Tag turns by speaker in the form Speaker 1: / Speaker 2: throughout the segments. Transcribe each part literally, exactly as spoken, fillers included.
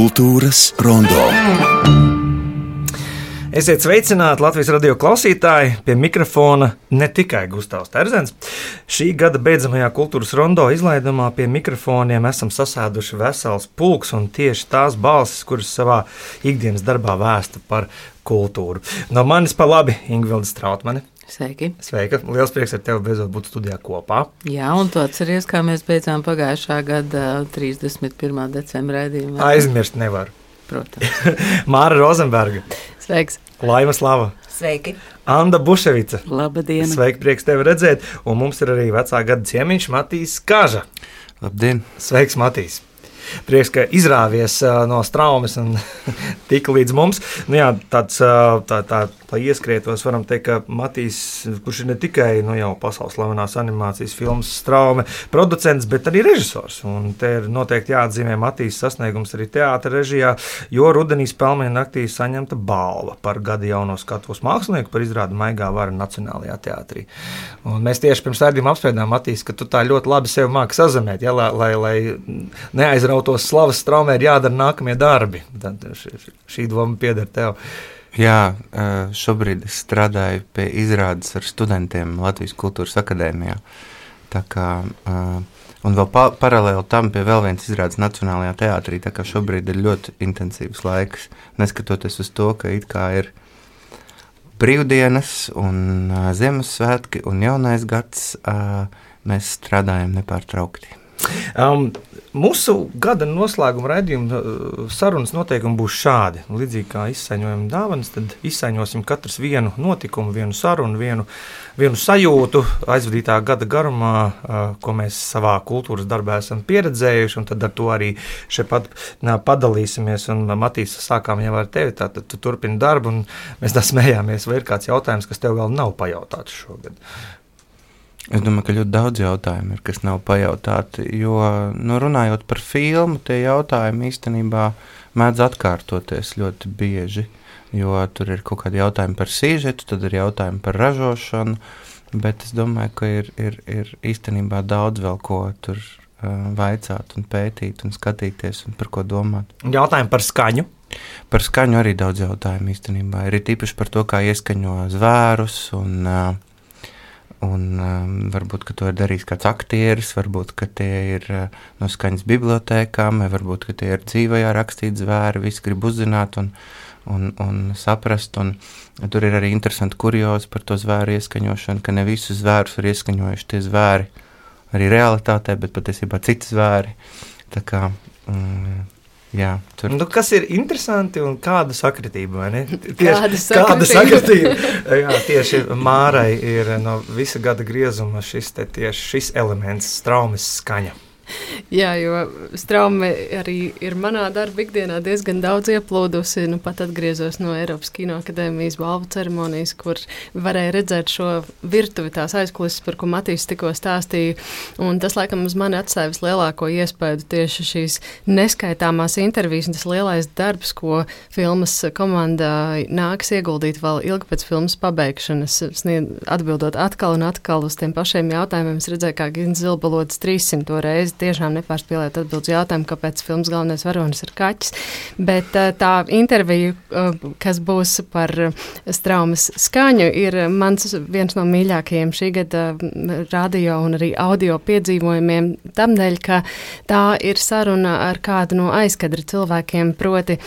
Speaker 1: Kultūras rondo.
Speaker 2: Esiet sveicināti Latvijas radio klausītāji, pie mikrofona ne tikai Gustavs Terzens. Šī gada beidzamajā kultūras rondo izlaidumā pie mikrofoniem esam sasēduši vesels pulks un tieši tās balsis, kuras savā ikdienas darbā vēsta par kultūru. No manis pa labi Ingvilde Strautmane.
Speaker 3: Sveiki.
Speaker 2: Sveika. Liels prieks ar tevi beidzot būt studijā kopā.
Speaker 3: Jā, un tu atceries, kā mēs beidzām pagājušā gada trīsdesmit pirmā decembra raidījumā.
Speaker 2: Aizmirst nevaru.
Speaker 3: Protams.
Speaker 2: Māra Rozenberga.
Speaker 3: Sveiks.
Speaker 2: Laima Slava.
Speaker 4: Sveiki.
Speaker 2: Anda Buševica.
Speaker 3: Labdien.
Speaker 2: Sveiki, prieks tevi redzēt. Un mums ir arī vecā gada ciemiņš Matīs Kaža.
Speaker 5: Labdien.
Speaker 2: Sveiks, Matīs. Prieks, ka izrāvies uh, no straumes un tika līdz mums. Nu jā, tāds, uh, tā, tā, tā ieskrietos, varam teikt, ka Matīs, kurš ir ne tikai nu, jau pasaules slavenās animācijas filmas Straume producents, bet arī režisors. Un te ir noteikti jāatzīmē Matīs sasniegums arī teātra režijā, jo rudenī Spēlmeņa naktī saņemta balva par gada jauno skatuves mākslinieku par izrādi Maigā vara Nacionālajā teātrī. Un mēs tieši pirms raidījuma apspriedām, Matīs, ka tu tā ļoti labi sevi māki sazemēt, ja, lai, lai, lai neaizrautu tos slavas Straumē ir jādara nākamie darbi. Tad šī, šī doma pieder tev.
Speaker 5: Jā, šobrīd es strādāju pie izrādes ar studentiem Latvijas Kultūras akadēmijā. Tā kā, un vēl pa, paralēli tam pie vēl viens izrādes Nacionālajā teātrī, tā kā šobrīd ir ļoti intensīvs laiks, neskatoties uz to, ka it kā ir brīvdienas un Ziemassvētki un jaunais gads, mēs strādājam nepārtraukti.
Speaker 2: Um, mūsu gada noslēguma raidījuma sarunas noteikumi būs šādi. Līdzīgi kā izsaiņojam dāvanas, tad izsaiņosim katrs vienu notikumu, vienu sarunu, vienu, vienu sajūtu aizvadītā gada garumā, uh, ko mēs savā kultūras darbā esam pieredzējuši, un tad ar to arī šeit pat nā, padalīsimies. Un Matīs, sākām jau ar tevi, tātad tu turpini darbu, un mēs tā smējāmies, vai ir kāds jautājums, kas tev vēl nav pajautāts šogad?
Speaker 5: Es domāju, ka ļoti daudz jautājumu ir, kas nav pajautāti, jo, nu, runājot par filmu, tie jautājumi īstenībā mēdz atkārtoties ļoti bieži, jo tur ir kaut kādi jautājumi par sižetu, tad ir jautājumi par ražošanu, bet es domāju, ka ir, ir, ir īstenībā daudz vēl ko tur uh, vaicāt un pētīt un skatīties un par ko domāt.
Speaker 2: Jautājumi par skaņu?
Speaker 5: Par skaņu arī daudz jautājumu īstenībā. Ir tīpaši par to, kā ieskaņo zvērus un uh, Un um, varbūt, ka to ir darījis kāds aktieris, varbūt, ka tie ir uh, no skaņas bibliotēkām, vai varbūt, ka tie ir dzīvajā rakstīti zvēri, visi grib uzzināt un, un, un saprast, un tur ir arī interesanti kuriozi par to zvēru ieskaņošanu, ka ne visus zvērus ir ieskaņojuši tie zvēri arī realitātē, bet patiesībā citi zvēri, tā kā... Mm, Jā, tur.
Speaker 2: Nu, kas ir interesanti un kāda sakritība, vai ne?
Speaker 3: Tieši, kāda sakritība?
Speaker 2: Kāda sakritība? Jā, tieši Mārai ir no visa gada griezuma šis, te, tieši šis elements, Straumes skaņa.
Speaker 4: Jā, jo Straume arī ir manā darba ikdienā diezgan daudz ieplūdusi. Nu, pat atgriezos no Eiropas Kinoakadēmijas balvu ceremonijas, kur varēja redzēt šo virtuvi, tās aizkulises, par ko Matīs tikko stāstīja. Un tas, laikam, uz mani atstāja vislielāko iespēju tieši šīs neskaitāmās intervijas un tas lielais darbs, ko filmas komandā nāks ieguldīt vēl ilgi pēc filmas pabeigšanas, atbildot atkal un atkal uz tiem pašiem jautājumiem. Es redzēju, kā Gins Zilbalods trīssimto reizi tiešām nepārspēlēt atbildes jautājumu, kāpēc filmas galvenais varonis ir kaķis. Bet tā intervija, kas būs par Straumes skaņu, ir mans viens no mīļākajiem šī gada radio un arī audio piedzīvojumiem. Tamdēļ, ka tā ir saruna ar kādu no aizkadra cilvēkiem, proti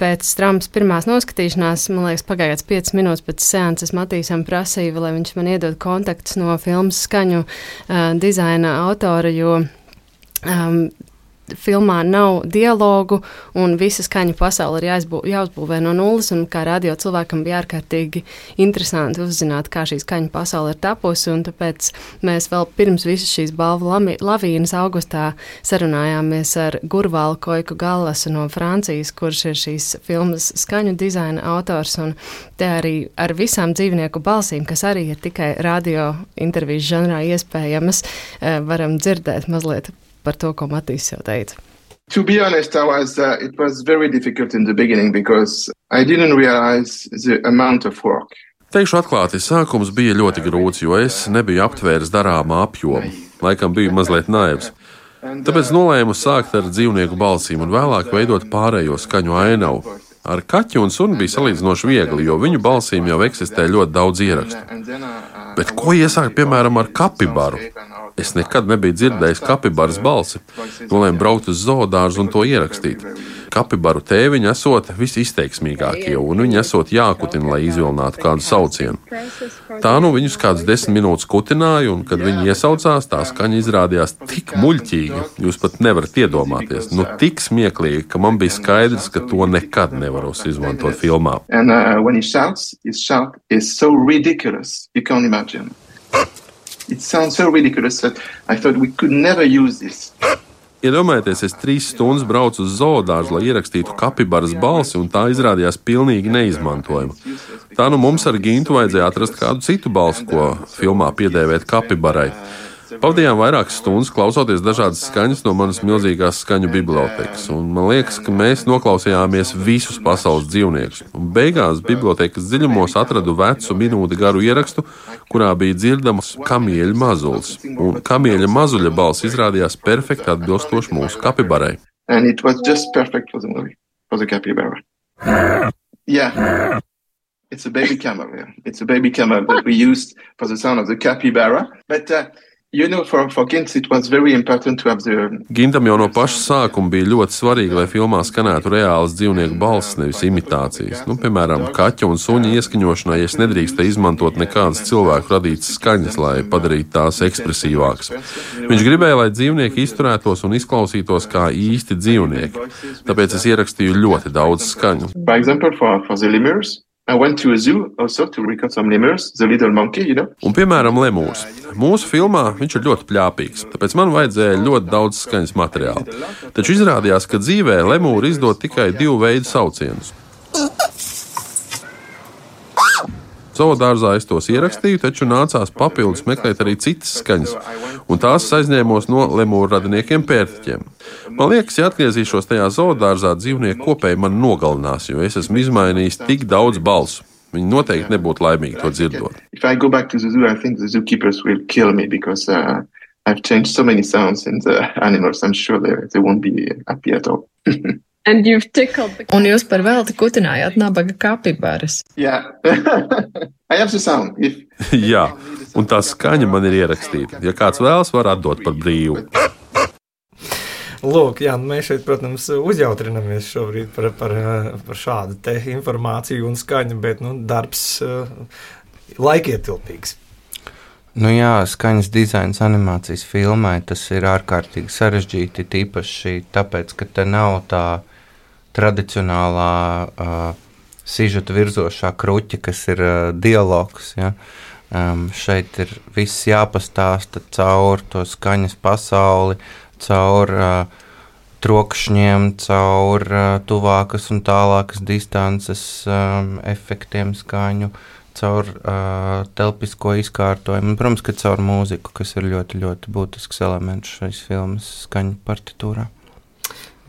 Speaker 4: pēc Straumes pirmās noskatīšanās, man liekas, pagājās piecas minūtes pēc seanses Matīsam prasīja, lai viņš man iedod kontaktus no filmas skaņu uh, dizaina autora, jo Um, filmā nav dialogu un visa skaņu pasaule ir jāizbū, jāuzbūvē no nulles, un kā radio cilvēkam bija ārkārtīgi interesanti uzzināt, kā šī skaņu pasaule ir tapusi, un tāpēc mēs vēl pirms visas šīs balvu lavīnas augustā sarunājāmies ar Gurvālu Koiku Gallasu no Francijas, kurš ir šīs filmas skaņu dizaina autors, un te arī ar visām dzīvnieku balsīm, kas arī ir tikai radio intervijas žanrā iespējamas, varam dzirdēt mazliet par to, ko Matīs jau teica.
Speaker 6: To be honest, I was, uh, it was very difficult in the beginning because I didn't realize the amount of work.
Speaker 7: Teikšu atklāti, sākums bija ļoti grūts, jo es nebiju aptvēris darāmā apjomu. Laikam biju mazliet naivs. Tāpēc nolēmu sākt ar dzīvnieku balsīm un vēlāk veidot pārējo skaņu ainavu. Ar kaķu un suni bija salīdzinoši viegli, jo viņu balsīm jau eksistē ļoti daudz ierakstu. Bet ko iesākt, piemēram, ar kapibaru? Es nekad nebiju dzirdējis kapibaras balsi. Nolēmu braukt uz zoodārzu un to ierakstīt. Kapibaru tēviņi esot visizteiksmīgākie, un viņi esot jākutina, lai izvilinātu kādu saucienu. Tā nu viņus kādas desmit minūtes kutināja, un, kad viņi iesaucās, tā skaņa izrādījās tik muļķīga, jūs pat nevarat iedomāties. Nu, tik smieklīgi, ka man bija skaidrs, ka to nekad nevaros izmantot filmā.
Speaker 6: And uh, when he shouts, his shout is so ridiculous, you can't imagine. It sounds so ridiculous that I thought we could never use this.
Speaker 7: Iedomājieties, es trīs stundas braucu uz zoodārzu, lai ierakstītu kapibaras balsi, un tā izrādījās pilnīgi neizmantojama. Tā nu mums ar Gintu vajadzēja atrast kādu citu balsi, ko filmā piedēvēt kapibarai. Pavadījām vairākas stundas klausoties dažādas skaņas no manas milzīgās skaņu bibliotekas, un man liekas, ka mēs noklausījāmies visus pasaules dzīvniekus. Un beigās bibliotekas dziļumos atradu vecu minūti garu ierakstu, kurā bija dzirdams kamieļa mazulis, un kamieļa mazuļa balss izrādījās perfekti atbilstoši mūsu kapibarai.
Speaker 6: And it was just perfect for the movie, for the capybara. Yeah. It's a baby camel, yeah. It's a baby camel that we used for the sound of the capybara. But, uh, you know, for, for Gint, it was very important to have the...
Speaker 7: Gintam jau no paša sākuma bija ļoti svarīgi, lai filmā skanētu reāls dzīvnieku balss, nevis imitācijas. Nu, piemēram, kaķa un suņa ieskaņošanai es nedrīkstēju izmantot nekādas cilvēku radītas skaņas, lai padarītu tās ekspresīvākas. Viņš gribēja, lai dzīvnieki izturētos un izklausītos kā īsti dzīvnieki. Tāpēc es ierakstīju ļoti daudz skaņu.
Speaker 6: For example, for, for the lemurs, I went to a zoo also to record some lemurs, the little monkey, you know.
Speaker 7: Un, piemēram, lemūrs. Mūsu filmā viņš ir ļoti pļāpīgs, tāpēc man vajadzēja ļoti daudz skaņas materiāla. Taču izrādījās, ka dzīvē lemūri izdod tikai divu veidu saucienus. Zoodārzā es tos ierakstīju, taču nācās papildus meklēt arī citas skaņas, un tās aizņēmos no lemūru radiniekiem pērtiķiem. Man liekas, ja atgriezīšos tajā zoodārzā, dzīvnieku kopēji man nogalinās, jo es esmu izmainījis tik daudz balsu. Viņi noteikti nebūtu laimīgi to dzirdot.
Speaker 6: If I go back to the zoo, I think the zookeepers will kill me because uh, I've changed so many sounds in the animals. I'm sure they, they won't be happy at all.
Speaker 4: And you've tickled the... Un jūs par velti kutinājāt nabaga kapibaras.
Speaker 6: Yeah. I have the sound. If...
Speaker 7: Jā, un tā skaņa man ir ierakstīta. Ja kāds vēlas, var atdot par brīvu.
Speaker 2: Lūk, jā, mēs šeit, protams, uzjautrinamies šobrīd par, par, par šādu te informāciju un skaņu, bet, nu, darbs uh, laikietilpīgs.
Speaker 5: Nu jā, skaņas dizains animācijas filmai, tas ir ārkārtīgi sarežģīti, tīpaši tāpēc, ka te nav tā tradicionālā uh, sižeta virzošā kruķa, kas ir uh, dialogs, ja. Um, šeit ir viss jāpastāsta caur to skaņas pasauli, caur uh, trokšņiem, caur uh, tuvākas un tālākas distances um, efektiem skaņu, caur uh, telpisko izkārtojumu un, protams, ka caur mūziku, kas ir ļoti, ļoti būtisks elements šais filmas skaņu partitūrā.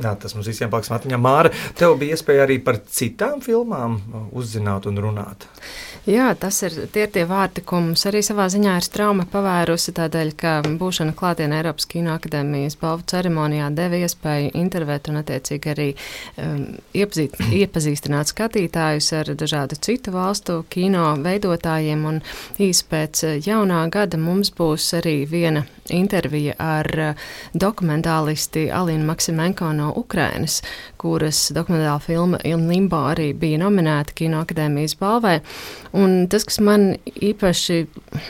Speaker 2: Jā, tas mums visiem paliks atmiņā. Māra, tev bija iespēja arī par citām filmām uzzināt un runāt.
Speaker 4: Jā, tas ir tie, tie vārti, ko mums arī savā ziņā ir Strauma pavērusi, tādēļ, ka būšana klātienē Eiropas Kinoakadēmijas balvu ceremonijā deva iespēju intervēt un attiecīgi arī um, iepazīt, iepazīstināt skatītājus ar dažādu citu valstu kino veidotājiem, un īsi pēc jaunā gada mums būs arī viena intervija ar dokumentālisti Alinu Maksimenko no Ukrainas, kuras dokumentāla filma Il Limbo arī bija nominēta Kinoakadēmijas balvai. Un tas, kas man īpaši,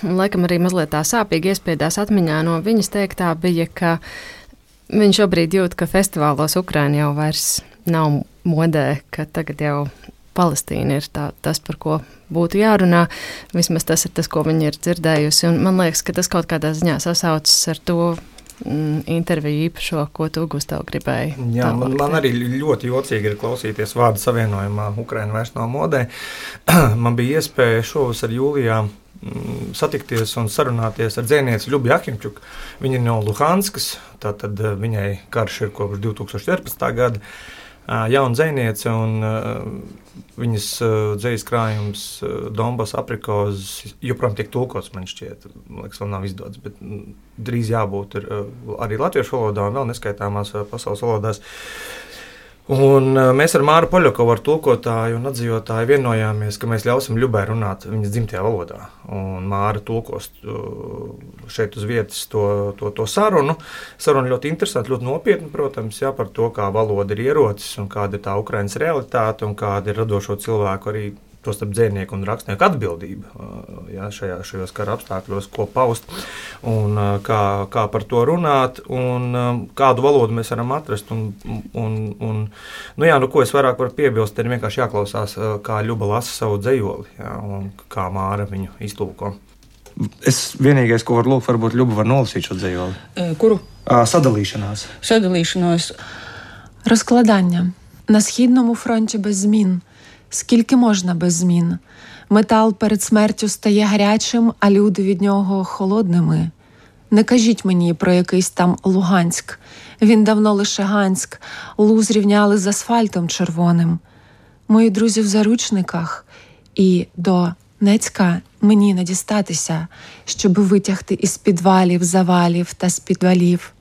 Speaker 4: laikam arī mazliet tā sāpīgi iespiedās atmiņā no viņas teiktā, bija, ka viņš šobrīd jūt, ka festivālos Ukraina jau vairs nav modē, ka tagad jau Palestīna ir tā, tas, par ko būtu jārunā. Vismaz tas ir tas, ko viņa ir dzirdējusi. Un man liekas, ka tas kaut kādā ziņā sasaucas ar to mm, interviju īpašo, ko tu, Gustav, gribēji.
Speaker 2: Jā, man, man arī ļoti jocīgi ir klausīties vārdu savienojumā Ukraina vairs nav modē. Man bija iespēja šovasar jūlijā mm, satikties un sarunāties ar dzēnieci Ļubi Ahimčuk. Viņa ir no Luhanskas, tātad viņai karš ir kopš divi tūkstoši četrpadsmitā gada. jauna dzejniece, un viņas dzejas krājums Donbas aprikos joprojām tiek tulkots, man šķiet. Man liekas, vēl nav izdots, bet drīz jābūt ir arī latviešu valodā un vēl neskaitāmās pasaules valodās. Un mēs ar Māru Poļakovu, ar tulkotāju un atzīvotāju vienojāmies, ka mēs ļausim Ļubai runāt viņas dzimtajā valodā. Un Māra tulkos šeit uz vietas to, to, to sarunu. Saruna ļoti interesanti, ļoti nopietni, protams, jā, par to, kā valoda ir ierocis un kāda ir tā Ukrainas realitāte un kāda ir radošo cilvēku arī to starp dzejnieku un rakstnieku atbildība jā, šajā, šajos kara apstākļos, ko paust un kā, kā par to runāt un kādu valodu mēs varam atrast. Un, un, un, nu jā, nu, ko es vairāk varu piebilst, ir vienkārši jāklausās, kā Ļuba lasa savu dzejoli jā, un kā Māra viņu iztulko.
Speaker 1: Es vienīgais, ko varu lūgt, varbūt Ļuba var nolasīt šo dzejoli.
Speaker 8: E, kuru?
Speaker 1: А, Садалішинас.
Speaker 8: Садалішинас.
Speaker 9: Розкладання. На Східному фронті без змін. Скільки можна без змін? Метал перед смертю стає гарячим, а люди від нього холодними. Не кажіть мені про якийсь там Луганськ. Він давно лише Ганськ. Лу зрівняли з асфальтом червоним. Мої друзі в заручниках. І до Нецька мені не дістатися, щоб витягти із підвалів, завалів та з підвалів.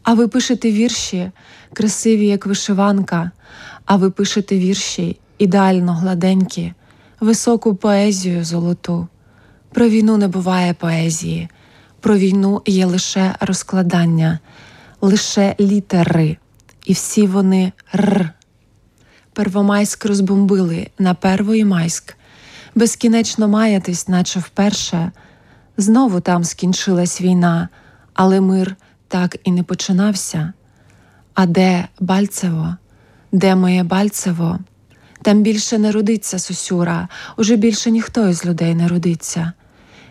Speaker 9: А ви пишете вірші, красиві, як вишиванка. А ви пишете вірші, ідеально гладенькі, високу поезію золоту. Про війну не буває поезії. Про війну є лише розкладання, лише літери. І всі вони р. Первомайськ розбомбили на Первомайськ. Безкінечно маятись, наче вперше. Знову там скінчилась війна, але мир так і не починався. А де Бальцево? Де моє Бальцево? Там більше не родиться Сосюра, уже більше ніхто із людей не родиться.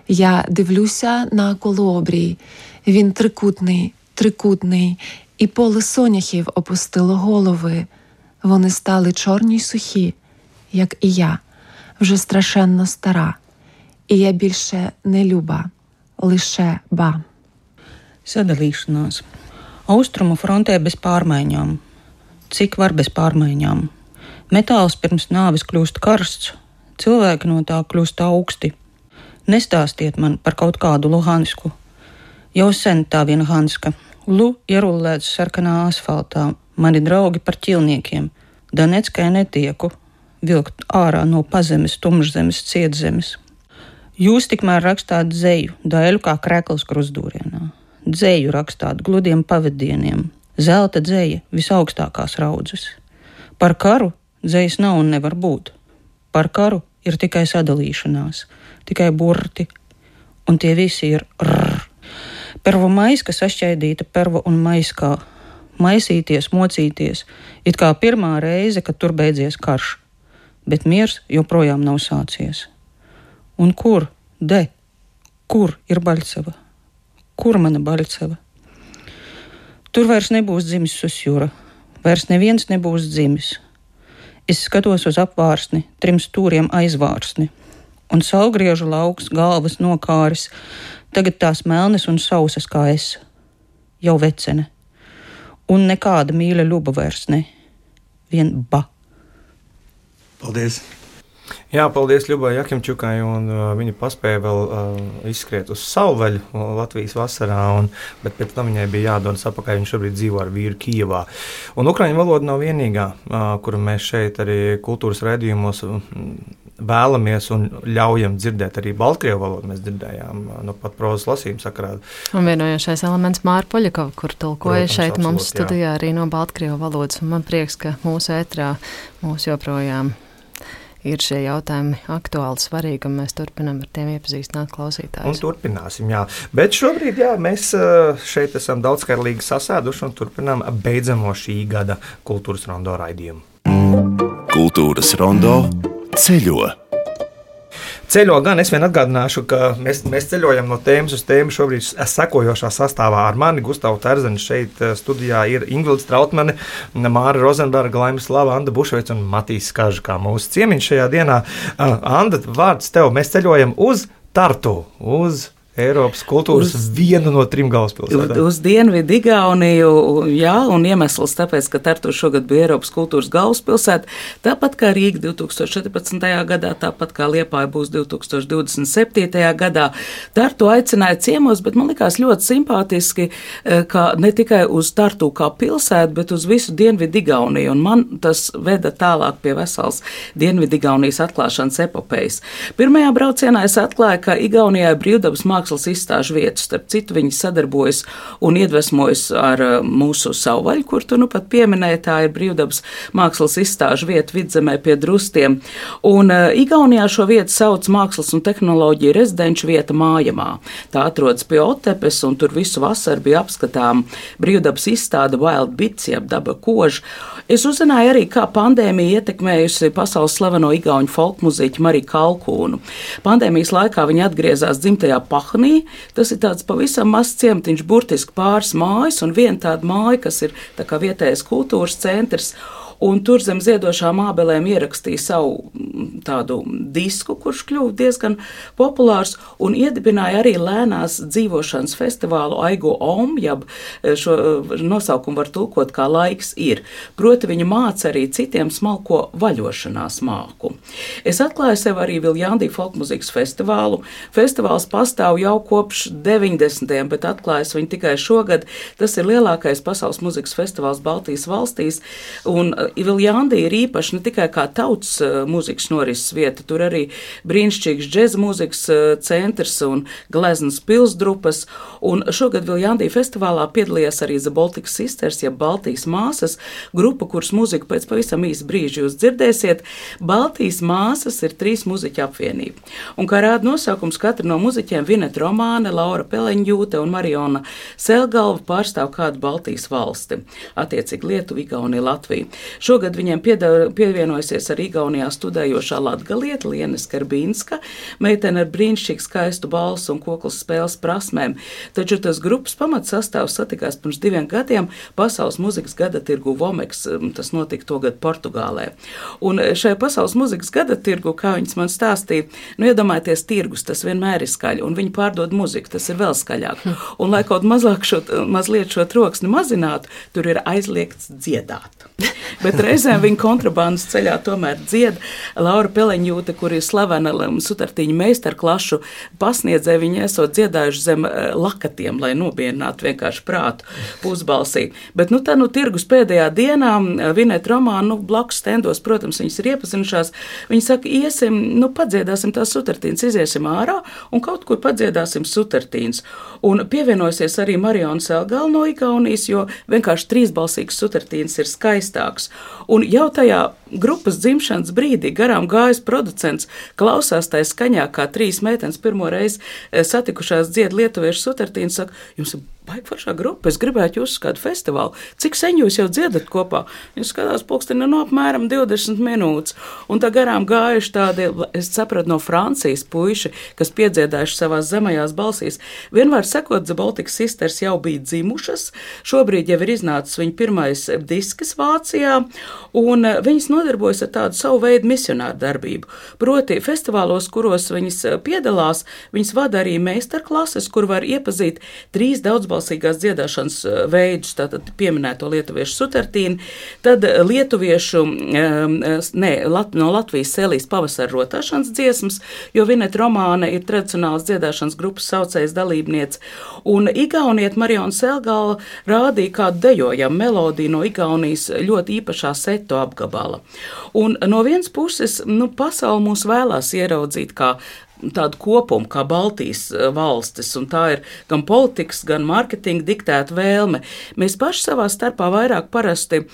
Speaker 9: Я дивлюся на колообрій, він трикутний, трикутний, і поле соняхів опустило голови. Вони стали чорні й сухі, як і я, вже страшенно стара. І я більше не Люба, лише Ба.
Speaker 8: Sadalīšanās. Austrumu frontē bez pārmaiņām. Cik var bez pārmaiņām? Metāls pirms nāves kļūst karsts, cilvēki no tā kļūst augsti. Nestāstiet man par kaut kādu Luhansku. Jau sen tā viena Hanska. Lu ierullēts sarkanā asfaltā, mani draugi par ķilniekiem. Doneckai netieku, vilkt ārā no pazemes, tumšzemes, cietzemes. Jūs tikmēr rakstāt dzeju, daļu kā krekls krustdūrienā. Dzeju rakstāt gludiem pavadieniem, zelta dzeja visaugstākās raudzes. Par karu dzejas nav un nevar būt. Par karu ir tikai sadalīšanās, tikai burti, un tie visi ir rrr. Pervomaiska sašķaidīta pervo un maiskā. Maisīties, mocīties, it kā pirmā reize, kad tur beidzies karš. Bet miers joprojām nav sācies. Un kur, de, kur ir Baļceva? Kur mana Baļceva? Tur vairs nebūs dzimis Susjura, vairs neviens nebūs dzimis. Es skatos uz apvārsni, trim stūriem aizvārsni, un saulgriežu lauks, galvas nokāris, tagad tās melnes un sausas kā es, jau vecene. Un nekāda mīļa Ļuba vairs ne, vien Ba.
Speaker 1: Paldies!
Speaker 2: Jā, paldies Ļubai Jakimčukai, un uh, viņa paspēja vēl uh, izskriet uz Savvaļu uh, Latvijas vasarā, un, bet pēc tam viņai bija jādodas apakaļ, viņa šobrīd dzīvo ar vīru Kijevā. Un ukraiņu valoda nav vienīgā, uh, kuru mēs šeit arī kultūras raidījumos uh, vēlamies un ļaujam dzirdēt. Arī Baltkrievu valodu mēs dzirdējām uh, no pat prozas lasījuma sakarā.
Speaker 4: Un vienojošais elements Māra Poļakova, kur tulkoja
Speaker 2: Protams,
Speaker 4: šeit
Speaker 2: absolūti,
Speaker 4: mums studijā
Speaker 2: jā.
Speaker 4: arī no Baltkrievu valodas, un man prieks, ka mūsu ētrā mūs joprojām ir šie jautājumi aktuāli, svarīgi, un mēs turpinām ar tiem iepazīstināt klausītājus.
Speaker 2: Un turpināsim, jā. Bet šobrīd, jā, mēs šeit esam daudzskairlīgi sasēduši un turpinām beidzamo šī gada Kultūras rondo raidījumu.
Speaker 10: Kultūras rondo ceļo.
Speaker 2: Ceļo gan, es vien atgādināšu, ka mēs, mēs ceļojam no tēmas uz tēmu šobrīd sekojošā sastāvā ar mani, Gustavu Terzeni, šeit studijā ir Ingvilda Strautmane, Māra Rozenberga, Laimas Slava, Anda Bušveic un Matīs Kaža kā mūsu ciemiņš šajā dienā. Anda, vārds tev, mēs ceļojam uz Tartu, uz Eiropas kultūras uz, vienu no trim galvaspilsētām.
Speaker 11: Uz Dienvidu Igauniju, jā, un iemesls tāpēc, ka Tartu šogad bija Eiropas kultūras galvaspilsēta, tāpat kā Rīga divs tūkstoši četrpadsmitajā gadā, tāpat kā Liepāja būs divs tūkstoši divdesmit septītajā gadā. Tartu aicināja ciemos, bet man likās ļoti simpātiski, ka ne tikai uz Tartu kā pilsētu, bet uz visu Dienvidu Igauniju, un man tas veda tālāk pie vesels Dienvidu Igaunijas atklāšanas epopejas. Pirmajā braucienā es atklāju, ka Igaunijā ir brīvdabas mākslas izstāžu vietu. Starp citu, viņi sadarbojas un iedvesmojas ar mūsu Savvaļu, kur tu nu pat pieminēji, tā ir brīvdabas mākslas izstāžu vieta Vidzemē pie Drustiem. Un uh, Igaunijā šo vietu sauc mākslas un tehnoloģiju rezidenču vieta Mājamā. Tā atrodas pie Otepes, un tur visu vasaru bija apskatām brīvdabas izstāde Wild Bits, jeb daba koža. Es uzzināju arī, kā pandēmija ietekmējusi pasaules slaveno igauņu folkmuziķu Mariju Kalkūnu. Pandēmijas laikā viņa atgriezās dzimtajā Pahnī. Tas ir tāds pavisam mazs ciematiņš, burtiski pāris mājas un viena tāda māja, kas ir tā kā vietējais kultūras centrs. Un tur zem ziedošām ābelēm ierakstīja savu tādu disku, kurš kļuva diezgan populārs, un iedibināja arī lēnās dzīvošanas festivālu Aigo Om, jeb šo nosaukumu var tulkot kā laiks ir. Proti viņa māca arī citiem smalko vaļošanās māku. Es atklāju sev arī Viljandī folkmuzikas festivālu. Festivāls pastāv jau kopš deviņdesmitajiem, bet atklājas viņu tikai šogad. Tas ir lielākais pasaules muzikas festivāls Baltijas valstīs, un Viljandī ir īpaši ne tikai kā tautas mūzikas norises vieta, tur arī brīnišķīgs džeza mūzikas centrs un gleznas pilsdrupas, un šogad Viljandī festivālā piedalījās arī The Baltic Sisters, ja Baltijas māsas, grupa, kuras mūziku pēc pavisam īsa brīža jūs dzirdēsiet. Baltijas māsas ir trīs muziķu apvienība, un kā rāda nosaukums, katra no muziķiem Vineta Romāne, Laura Peleņģūte un Mariona Selgalva pārstāv kādu Baltijas valsti, attiecīgi Lietuvu, Igauniju, Latviju. Šogad viņiem pievienojusies ar Igaunijā studējošā latgalieta Liene Skarbīnska, meitene ar brīnišķīgu skaistu balsu un koklas spēles prasmēm. Taču tas grupas pamatsastāvs satikās pirms diviem gadiem Pasaules muzikas gada tirgu Vomeks, tas notika togad Portugālē. Un šai Pasaules muzikas gada tirgu, kā viņas man stāstīja, nu iedomājieties, tirgus, tas vienmēr ir skaļi, un viņi pārdod muziku, tas ir vēl skaļāk. Un lai kaut mazāk šo, mazliet šo troksni mazinātu, tur ir aizliegts dziedāt. Bet reizēm viņa kontrabandas ceļā tomēr dzied. Laura Peleņģūte, kur ir slavena sutartiņu meistarklašu pasniedzēja, viņa esot dziedājuši zem lakatiem, lai nobiedinātu vienkārši prātu pusbalsī. Bet nu tā nu tirgus pēdējā dienā Vineta Romāna, nu blakus stendos, protams, viņas ir iepazinušās. Viņa saka, iesim, nu padziedāsim tās sutartīnas, iziesim ārā un kaut kur padziedāsim sutartīnas. Un pievienosies arī Mariona Selgalva no Igaunijas, jo vienkārši trīsbalsīgas sutartīnas ir skaistāks. Un jau tajā grupas dzimšanas brīdī garām gājis producents klausās tai skaņā, kā trīs meitenes pirmo reizi satikušās dzied lietuviešu sutartīnu, saka, jums ir baigi foršā grupa, es gribētu jūs uz kādu festivālu. Cik sen jūs jau dziedat kopā? Jūs skatās pulksteni no apmēram divdesmit minūtes. Un tā garām gājuši tādi, es sapratu, no Francijas puiši, kas piedziedājuši savās zemajās balsīs. Vienmēr sakot, The Baltic Sisters jau bija dzimušas, šobrīd jau ir iznācis viņa pirmais disks Vācijā, un viņas nodarbojas ar tādu savu veidu misionāru darbību. Proti, festivālos, kuros viņas piedalās, viņas vada arī meistarklases, kur var iepazīt trīs daudzbalsīgās dziedāšanas veidus, tātad pieminēto lietuviešu sutartīnu, tad lietuviešu, ne, no Latvijas Sēlijas pavasara rotāšanas dziesmas, jo Vineta Romāne ir tradicionāls dziedāšanas grupas saucējs dalībniece, un Igauniet Mariona Selgalva rādīja kādu dejojamu melodiju no Igaunijas ļoti īpašā seto apgabala. Un no vienas puses, nu, pasauli mūs vēlās ieraudzīt kā tādu kopumu kā Baltijas valstis, un tā ir gan politikas, gan mārketinga diktēta vēlme. Mēs paši savā starpā vairāk parasti uh,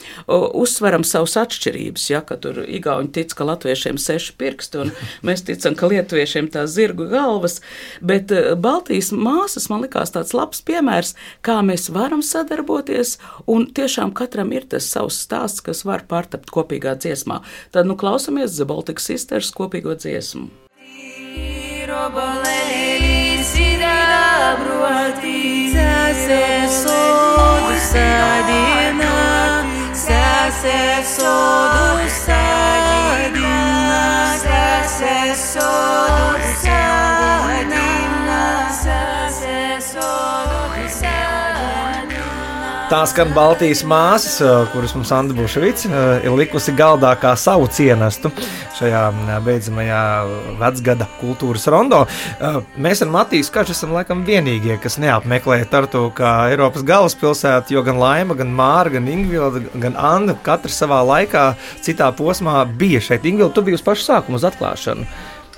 Speaker 11: uzsveram savus atšķirības, ja, ka tur igauņi tic, ka latviešiem seši pirksti, un mēs ticam, ka lietuviešiem tās zirgu galvas, bet uh, Baltijas māsas man likās tāds labs piemērs, kā mēs varam sadarboties, un tiešām katram ir tas savs stāsts, kas var pārtapt kopīgā dziesmā. Tad, nu, klausamies The Baltic Sisters kopīgo dziesmu.
Speaker 12: Robalēļi sidabruoti, sase sodu sadina, sase sodu sadina, sase sodu sadina,
Speaker 2: Tā skan Baltijas māsas, kuras mums Anda Buševics ir likusi galdā kā savu cienestu šajā beidzamajā vecgada kultūras rondo. Mēs ar Matiju Skaču esam laikam vienīgie, kas neapmeklē Tartu kā Eiropas galvaspilsētu, jo gan Laima, gan Māra, gan Ingvilda, gan Anda katrs savā laikā citā posmā bija šeit. Ingvilda, tu biji uz pašu sākumu uz atklāšanu.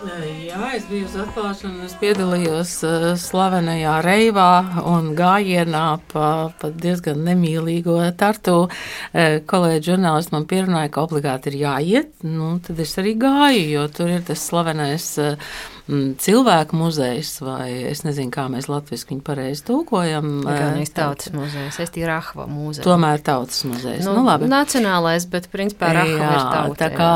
Speaker 3: Jā, es biju uz atklāšanu, es piedalījos uh, slavenajā reivā un gājienā pa, pa diezgan nemīlīgo Tartu. Uh, kolēģi žurnālisti man pierunāja, ka obligāti ir jāiet, nu, tad es arī gāju, jo tur ir tas slavenais uh, cilvēku muzejs, vai es nezinu, kā mēs latviski viņu pareizi tūkojam.
Speaker 4: Igaunijas tautas muzejs, es tie Rahva muzejs.
Speaker 3: Tomēr tautas muzejs.
Speaker 4: Nu,
Speaker 3: nu, labi.
Speaker 4: Nacionālais, bet principā Rahva ir tauta.
Speaker 3: Tā kā...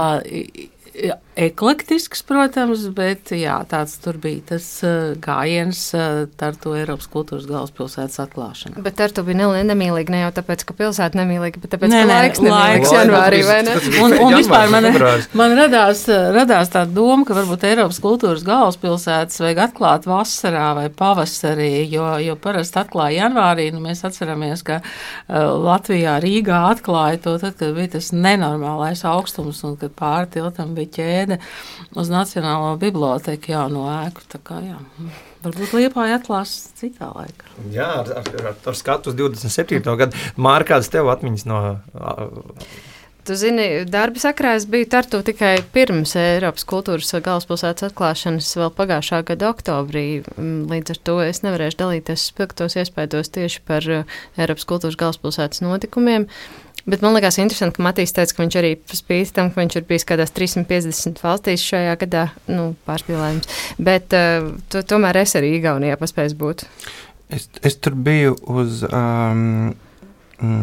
Speaker 3: Jā, eklektisks, protams, bet jā, tāds tur bija tas uh, gājiens uh, Tartu Eiropas kultūras galvaspilsētas atklāšana.
Speaker 4: Bet Tartu bija nemīlīgi ne jau tāpēc, ka pilsēta nemīlīga, bet tāpēc,
Speaker 3: nē,
Speaker 4: ka
Speaker 3: nē,
Speaker 4: laiks nemīlīgs janvārī, vai ne?
Speaker 3: Un, un vispār man, man radās, radās tā doma, ka varbūt Eiropas kultūras galvaspilsētas vajag atklāt vasarā vai pavasarī, jo, jo parasti atklāja janvārī, nu mēs atceramies, ka uh, Latvijā Rīgā atklāja to tad, kad bija tas nenormālais augstums un kad pāri tiltam bija ķēde uz Nacionālo biblioteku jauno ēku. Tā kā, jā, varbūt Liepāja atklās citā laikā.
Speaker 2: Jā, ar, ar, ar skatu uz divdesmit septīto gadu. Māra, kādas tev atmiņas no...
Speaker 4: Tu zini, darba sakrā es biju Tartu tikai pirms Eiropas kultūras galvaspilsētas atklāšanas vēl pagājušā gada oktobrī. Līdz ar to es nevarēšu dalīties spilgtos iespaidos tieši par Eiropas kultūras galvaspilsētas notikumiem. Bet man liekas interesanti, ka Matīs teica, ka viņš arī spīti tam, ka viņš ir bijis kādās trīssimt piecdesmit valstīs šajā gadā, nu, pārspīlējums. Bet uh, to, tomēr es arī Igaunijā paspēju būt.
Speaker 5: Es, es tur biju uz um,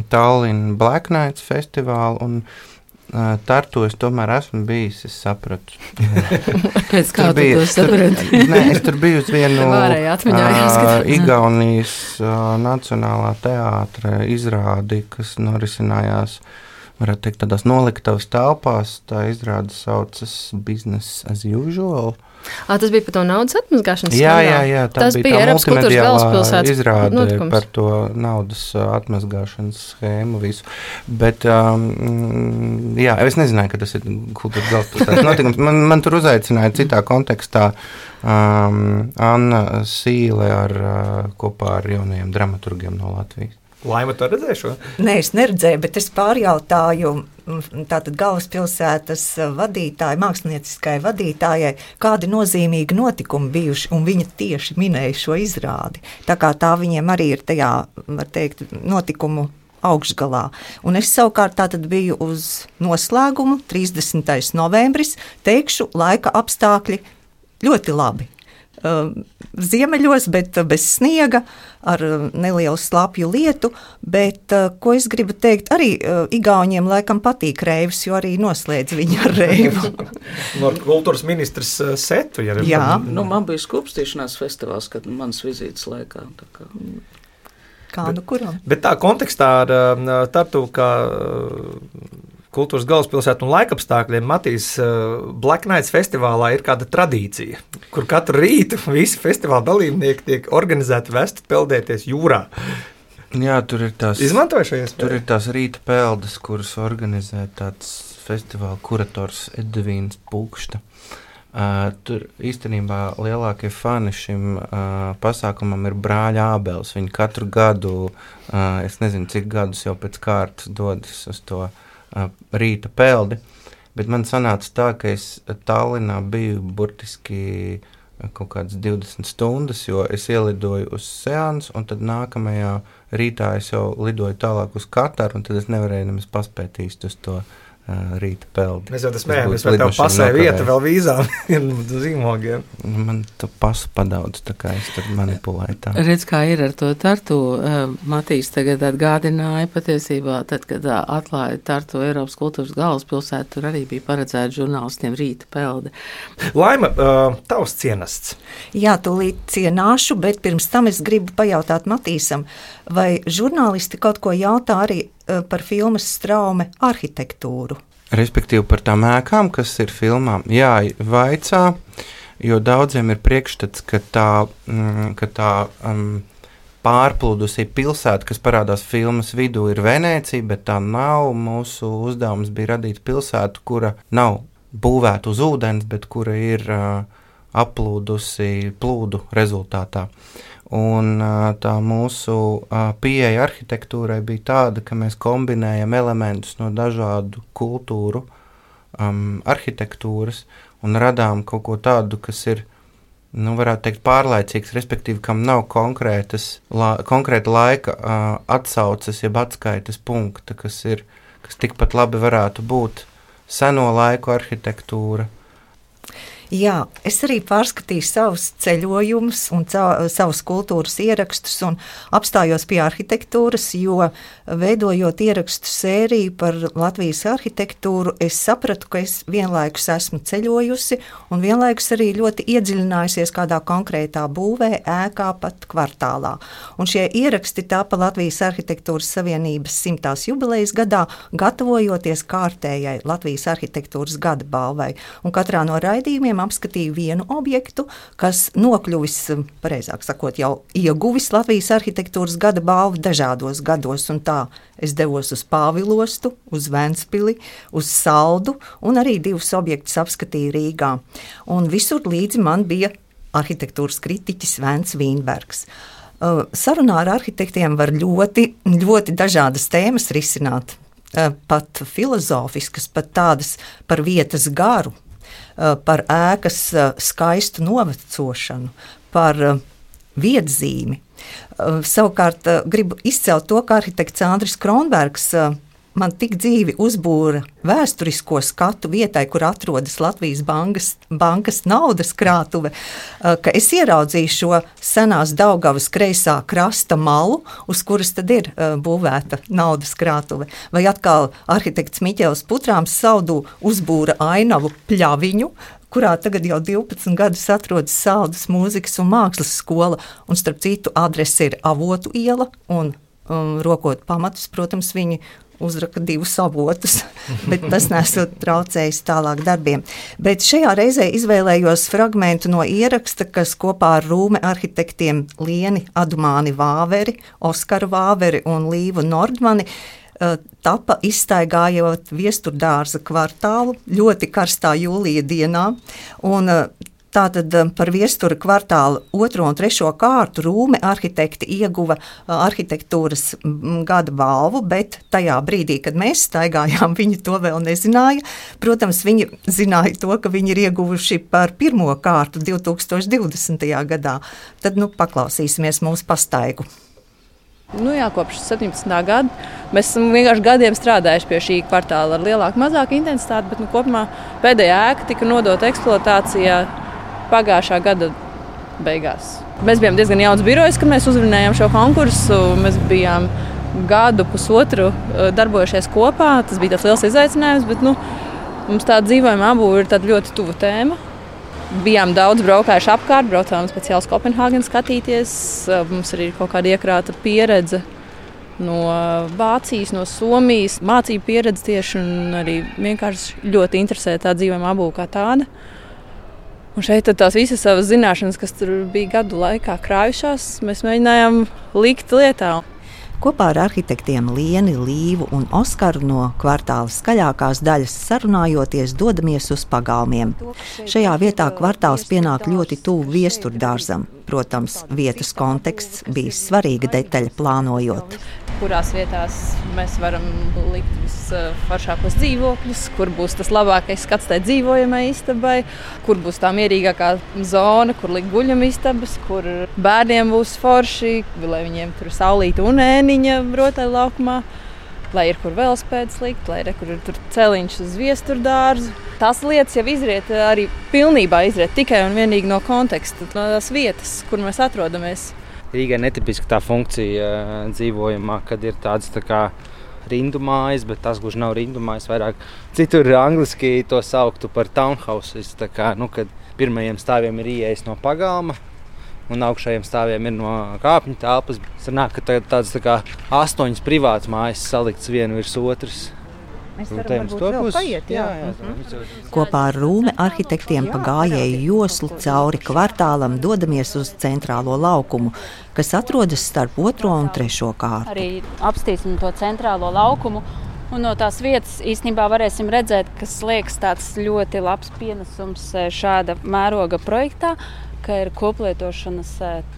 Speaker 5: Tallinn Black Nights festivālu un uh, Tartu es tomēr esmu bijis, es sapratu.
Speaker 3: Pēc kā tu to saprati?
Speaker 5: Nē, es tur biju uz vienu uh, Igaunijas uh, Nacionālā teātra izrādi, kas norisinājās, varētu teikt, tādās noliktavas telpās. Tā izrāde saucas Business as Usual.
Speaker 4: À, tas bija par to naudas atmazgāšanas
Speaker 5: jā, jā, jā, tā
Speaker 4: tas
Speaker 5: bija
Speaker 4: bija
Speaker 5: tā
Speaker 4: Eiropas kultūras galvaspilsētas
Speaker 5: izrāde
Speaker 4: notikums.
Speaker 5: Par to naudas atmazgāšanas schēmu visu. Bet, um, jā, es nezināju, ka tas ir kultūras galvaspilsētas notikums. Man, man tur uzaicināja citā kontekstā um, Anna Sīle ar, uh, kopā ar jaunajiem dramaturgiem no Latvijas.
Speaker 2: Laima, tu redzēji šo?
Speaker 13: Nē, es neredzēju, bet es pārjautāju tātad galvaspilsētas vadītāji, mākslinieciskai vadītājai, kādi nozīmīgi notikumi bijuši, un viņa tieši minēja šo izrādi. Tā kā tā viņiem arī ir tajā, var teikt, notikumu augšgalā. Un es savukārt tātad biju uz noslēgumu, trīsdesmitais novembris, teikšu, laika apstākļi ļoti labi. Ziemeļos, bet bez sniega, ar nelielu slapju lietu, bet, ko es gribu teikt, arī igauņiem laikam patīk reivs, jo arī noslēdz viņu ar reivu.
Speaker 2: No kultūras ministrs setu, ja
Speaker 11: jā. Nu, man bija skūpstīšanās festivāls, kad manas vizītes laikā. Tā kā...
Speaker 13: Kā, nu kuram?
Speaker 2: Bet tā kontekstā ar Tartu, kā kultūras galvaspilsētu un laikapstākļiem, Matīs, Black Nights festivālā ir kāda tradīcija, kur katru rītu visi festivāla dalībnieki tiek organizēti vest peldēties jūrā.
Speaker 5: Jā, tur ir tās,
Speaker 2: izmantoju šo iespēju?
Speaker 5: Tur ir tās rīta peldes, kuras organizē tāds festivāla kurators Edvīns Pukšta. Uh, tur īstenībā lielākie fani šim uh, pasākumam ir brāļa Ābels. Viņi katru gadu, uh, es nezinu, cik gadus jau pēc kārtas dodas uz to rīta peldi, bet man sanāca tā, ka es Tallinā biju burtiski kaut kādas divdesmit stundas, jo es ielidoju uz seansu, un tad nākamajā rītā es jau lidoju tālāk uz Kataru, un tad es nevarēju nemaz paspēt īsti uz to uh, rīta peldi.
Speaker 2: Mēs jau tas smējamies, vai tev pasē vieta vēl vīzām un zīmogiem?
Speaker 5: Man tu pasu padaudz, tā kā es tur manipulēju tā.
Speaker 3: Redz, kā ir ar to Tartu. Matīs tagad atgādināja patiesībā, tad, kad atklāja Tartu Eiropas kultūras galvaspilsētu, tur arī bija paredzēta žurnālistiem rīta pelde.
Speaker 2: Laima, tavs cienests.
Speaker 13: Jā, tūlīt cienāšu, bet pirms tam es gribu pajautāt Matīsam, vai žurnālisti kaut ko jautā arī par filmas Straume arhitektūru?
Speaker 5: Respektīvi par tām ēkām, kas ir filmām. Jā, vaicā, jo daudziem ir priekšstats, ka tā, mm, ka tā um, pārplūdusī pilsēta, kas parādās filmas vidū, ir Venēcija, bet tā nav. Mūsu uzdevums bija radīt pilsētu, kura nav būvēta uz ūdens, bet kura ir uh, aplūdusi plūdu rezultātā. Un uh, tā mūsu uh, pieeja arhitektūrai bija tāda, ka mēs kombinējam elementus no dažādu kultūru um, arhitektūras un radām kaut ko tādu, kas ir, nu, varētu teikt, pārlaicīgs, respektīvi, kam nav konkrētas, la, konkrēta laika uh, atsauces, jeb atskaites punkta, kas ir, kas tikpat labi varētu būt seno laiku arhitektūra.
Speaker 13: Jā, es arī pārskatīju savus ceļojumus un ca- savus kultūras ierakstus un apstājos pie arhitektūras, jo veidojot ierakstu sēriju par Latvijas arhitektūru, es sapratu, ka es vienlaikus esmu ceļojusi un vienlaikus arī ļoti iedziļinājusies kādā konkrētā būvē, ēkā, pat kvartālā. Un šie ieraksti tāpa Latvijas arhitektūras savienības simtās jubilejas gadā, gatavojoties kārtējai Latvijas arhitektūras gada balvai. Un katrā no raidījumiem apskatīju vienu objektu, kas nokļuvis, pareizāk sakot, jau ieguvis Latvijas arhitektūras gada balvu dažādos gados, un tā es devos uz Pāvilostu, uz Ventspili, uz Saldu, un arī divus objektus apskatīju Rīgā. Un visur līdzi man bija arhitektūras kritiķis Vents Vīnbergs. Sarunā ar arhitektiem var ļoti, ļoti dažādas tēmas risināt, pat filozofiskas, pat tādas par vietas garu, par ēkas skaistu novecošanu, par vietzīmi. Savukārt gribu izcelt to, ka arhitekts Andris Kronbergs man tik dzīvi uzbūra vēsturisko skatu vietai, kur atrodas Latvijas bankas, bankas naudas krātuve, ka es ieraudzīju šo senās Daugavas kreisā krasta malu, uz kuras tad ir būvēta naudas krātuve. Vai atkal arhitekts Miķels Putrāms Saldū uzbūra ainavu Pļaviņu, kurā tagad jau divpadsmit gadus atrodas Saldus mūzikas un mākslas skola, un starp citu adrese ir Avotu iela, un um, rokot pamatus, protams, viņi uzraka divus avotus, bet tas nesot traucējis tālāk darbiem. Bet šajā reizē izvēlējos fragmentu no ieraksta, kas kopā ar Rūme arhitektiem Lieni Adumāni Vāveri, Oskaru Vāveri un Līvu Nordmani tapa izstaigājot Viesturdārza kvartālu ļoti karstā jūlija dienā, un tātad par Viestura kvartālu otro un trešo kārtu Rūme arhitekti ieguva arhitektūras gada balvu, bet tajā brīdī, kad mēs staigājām, viņi to vēl nezināja. Protams, viņi zināja to, ka viņi ir ieguvuši par pirmo kārtu divi tūkstoši divdesmitajā gadā. Tad, nu, paklausīsimies mūsu pastaigu.
Speaker 14: Nu jā, kopš septiņpadsmitā gada mēs esam vienkārši gadiem strādājuši pie šī kvartāla ar lielāku, mazāku intensitāti, bet nu, kopumā pēdējā ēka tika nodota eksploatācijā pagājušā gada beigās. Mēs bijām diezgan jauns birojs, kad mēs uzvinējām šo konkursu. Mēs bijām gadu, pusotru darbojušies kopā. Tas bija tāds liels izaicinājums, bet nu, mums tā dzīvojuma apbūve ir tāda ļoti tuva tēma. Bijām daudz braukājuši apkārt, braucām speciāli uz Kopenhāgenu skatīties. Mums arī ir kaut kāda iekrāta pieredze no Vācijas, no Somijas, mācību pieredze tieši, un arī vienkārši ļoti interesē tā dzīvojuma apbūve kā tāda. Un šeit tās visas savas zināšanas, kas tur bija gadu laikā krājušās, mēs mēģinājām likt lietā.
Speaker 13: Kopā ar arhitektiem Lieni, Līvu un Oskaru no kvartāla skaļākās daļas sarunājoties dodamies uz pagalmiem. Šajā vietā kvartāls pienāk ļoti tuvu Viesturdārzam. Protams, vietas konteksts bija svarīga detaļa plānojot.
Speaker 14: Kurās vietās mēs varam likt visforšākos dzīvokļus, kur būs tas labākais skats tai dzīvojamai istabai, kur būs tā mierīgākā zona, kur likt guļamistabas, kur bērniem būs forši, lai viņiem tur saulīta un ēniņa rotaļlaukumā, lai ir kur velospēdas likt, lai ir kur ir tur celiņš uz Viesturdārzu. Tās lietas jau izriet arī pilnībā izriet tikai un vienīgi no konteksta, no tās vietas, kur mēs atrodamies.
Speaker 15: Rīgai netipiska tā funkcija dzīvojumā, kad ir tāds tā kā rindu mājas, bet tas gluži nav rindu mājas, vairāk citur angliski to sauktu par townhouses, tā kā, nu, kad pirmajiem stāviem ir ieejas no pagalma un augšējiem stāviem ir no kāpņu telpas. Sanāk, ka tāds tā kā astoņas privātas mājas salikts vienu virs otras.
Speaker 13: Mēs
Speaker 15: Un
Speaker 13: varam
Speaker 15: te mums
Speaker 13: varbūt
Speaker 15: to
Speaker 13: vēl
Speaker 15: būs-
Speaker 13: paiet, jā.
Speaker 15: jā, jā,
Speaker 13: Mhm.
Speaker 16: Kopā ar Rūme arhitektiem pa gājēju joslu cauri kvartālam dodamies uz centrālo laukumu, kas atrodas starp otro un trešo kārtu.
Speaker 17: Arī apstīsim to centrālo laukumu. Un no tās vietas īstenībā varēsim redzēt, kas liekas tāds ļoti labs pienesums šāda mēroga projektā, ka ir koplietošanas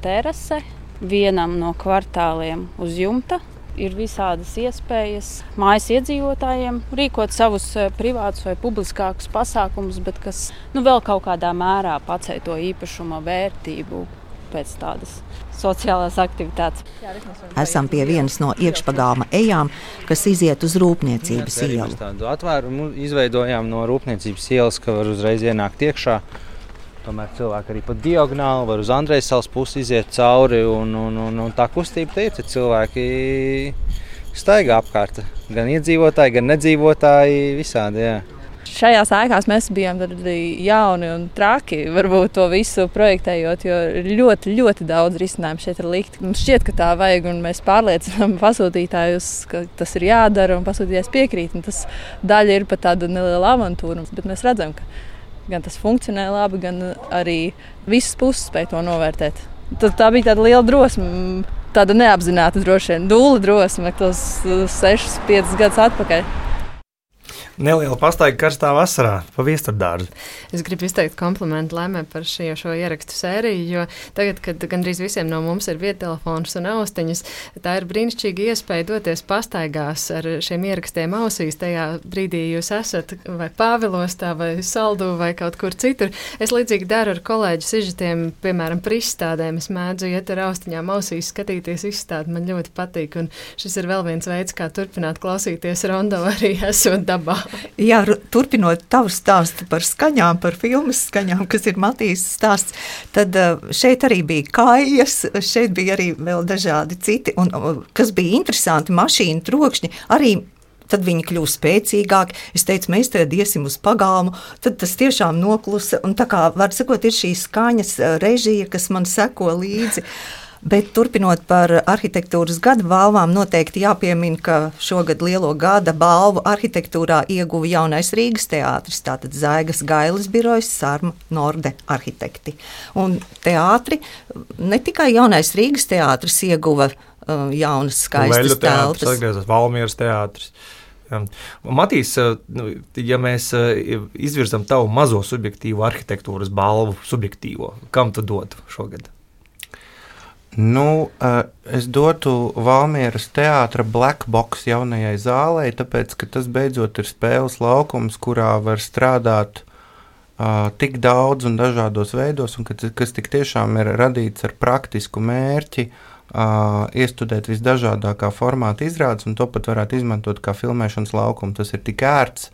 Speaker 17: terase vienam no kvartāliem uz jumta. Ir visādas iespējas mājas iedzīvotājiem rīkot savus privātus vai publiskākus pasākumus, bet kas nu, vēl kaut kādā mērā pacēla to īpašuma vērtību pēc tādas sociālās aktivitātes.
Speaker 16: Esam pie vienas no iekšpagāma ejām, kas iziet uz Rūpniecības
Speaker 15: Arī
Speaker 16: ielu.
Speaker 15: mēs tādu atvērumu izveidojām no Rūpniecības ielas, ka var uzreiz ienākt iekšā. Tomēr cilvēki arī pa diagonāli var uz Andrejsavas pusi iziet cauri, un, un, un, un tā kustība te ir, te cilvēki staigā apkārt. Gan iedzīvotāji, gan nedzīvotāji, visādi, jā.
Speaker 14: Šajās ēkās mēs bijām arī jauni un traki, varbūt to visu projektējot, jo ir ļoti, ļoti daudz risinājumu šeit ir likt. Mums šķiet, ka tā vajag, un mēs pārliecinām pasūtītājus, ka tas ir jādara, un pasūtītājs piekrīt. Un tas daļa ir pat tāda neliela avantūra, bet mēs redzam, ka gan tas funkcionē labi, gan arī visas puses spēj to novērtēt. Tad tā bija tāda liela drosme, tāda neapzināta droši vien, dūla drosme, tos sešus, piecus gadus atpakaļ.
Speaker 2: Neliela pastaiga karstā vasarā pa Viesturdārzu.
Speaker 4: Es gribu izteikt komplimentu Laimai par šie, šo ierakstu sēriju, jo tagad, kad gandrīz visiem no mums ir viedtelefons un austiņas, tā ir brīnišķīga iespēja doties pastaigās ar šiem ierakstiem ausīs. Tajā brīdī jūs esat vai Pāvilostā, vai Saldū, vai kaut kur citur. Es līdzīgi daru ar kolēģu sižetiem, piemēram, par izstādēm. Es mēdzu iet ar austiņām ausīs, skatīties izstādi. Man ļoti patīk, un šis ir vēl viens veids, kā turpināt klausīties rondo arī esot dabā.
Speaker 13: Jā, turpinot tavu stāstu par skaņām, par filmas skaņām, kas ir Matīs stāsts, tad šeit arī bija kājas, šeit bija arī vēl dažādi citi, un kas bija interesanti, mašīnu trokšņi, arī tad viņi kļūst spēcīgāki. Es teicu, mēs tad iesim uz pagalmu, tad tas tiešām noklusa, un tā kā, var sakot, ir šī skaņas režija, kas man seko līdzi. Bet turpinot par arhitektūras gada balvām, noteikti jāpiemina, ka šogad lielo gada balvu arhitektūrā ieguva jaunais Rīgas teātris, tātad Zaigas Gailes birojas, Sarma Norde arhitekti. Un teātri, ne tikai jaunais Rīgas teātris ieguva uh, jaunas skaistas telpas.
Speaker 2: Leļu teātris, Valmieras teātris. Matīs, ja mēs izvirzam tavu mazo subjektīvo arhitektūras balvu, subjektīvo, kam tu dotu šogad?
Speaker 5: Nu, es dotu Valmieras teātra Black Box jaunajai zālei, tāpēc, ka tas beidzot ir spēles laukums, kurā var strādāt uh, tik daudz un dažādos veidos, un kas, kas tik tiešām ir radīts ar praktisku mērķi, uh, iestudēt visdažādākā formāta izrādes, un to pat varētu izmantot kā filmēšanas laukumu. Tas ir tik ērts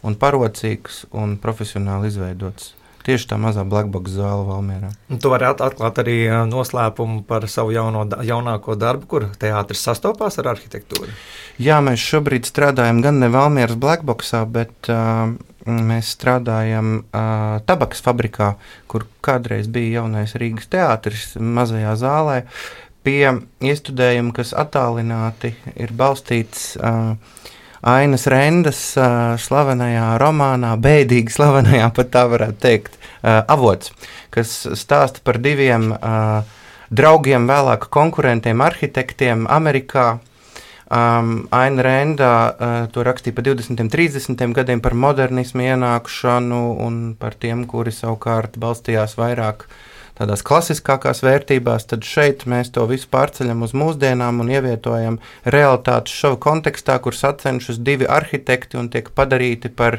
Speaker 5: un parocīgs un profesionāli izveidots. Tieši tā mazā blackbox zāle Valmierā.
Speaker 2: Un tu vari atklāt arī noslēpumu par savu jauno, jaunāko darbu, kur teātris sastopās ar arhitektūru.
Speaker 5: Jā, mēs šobrīd strādājam gan ne Valmieras blackboxā, bet uh, mēs strādājam uh, tabakas fabrikā, kur kādreiz bija jaunais Rīgas teātris mazajā zālē, pie iestudējuma, kas attālināti ir balstīts uh, Ainas Rendas uh, slavenajā romānā, bēdīgi slavenajā, pat tā varētu teikt, uh, avots, kas stāsta par diviem uh, draugiem, vēlāk konkurentiem, arhitektiem Amerikā. Um, Aina Renda uh, to rakstīja par divdesmitiem, trīsdesmitiem gadiem, par modernismu ienākšanu un par tiem, kuri savukārt balstījās vairāk tādās klasiskākās vērtībās, tad šeit mēs to visu pārceļam uz mūsdienām un ievietojam realitātes šovu kontekstā, kur sacenšas divi arhitekti un tiek padarīti par,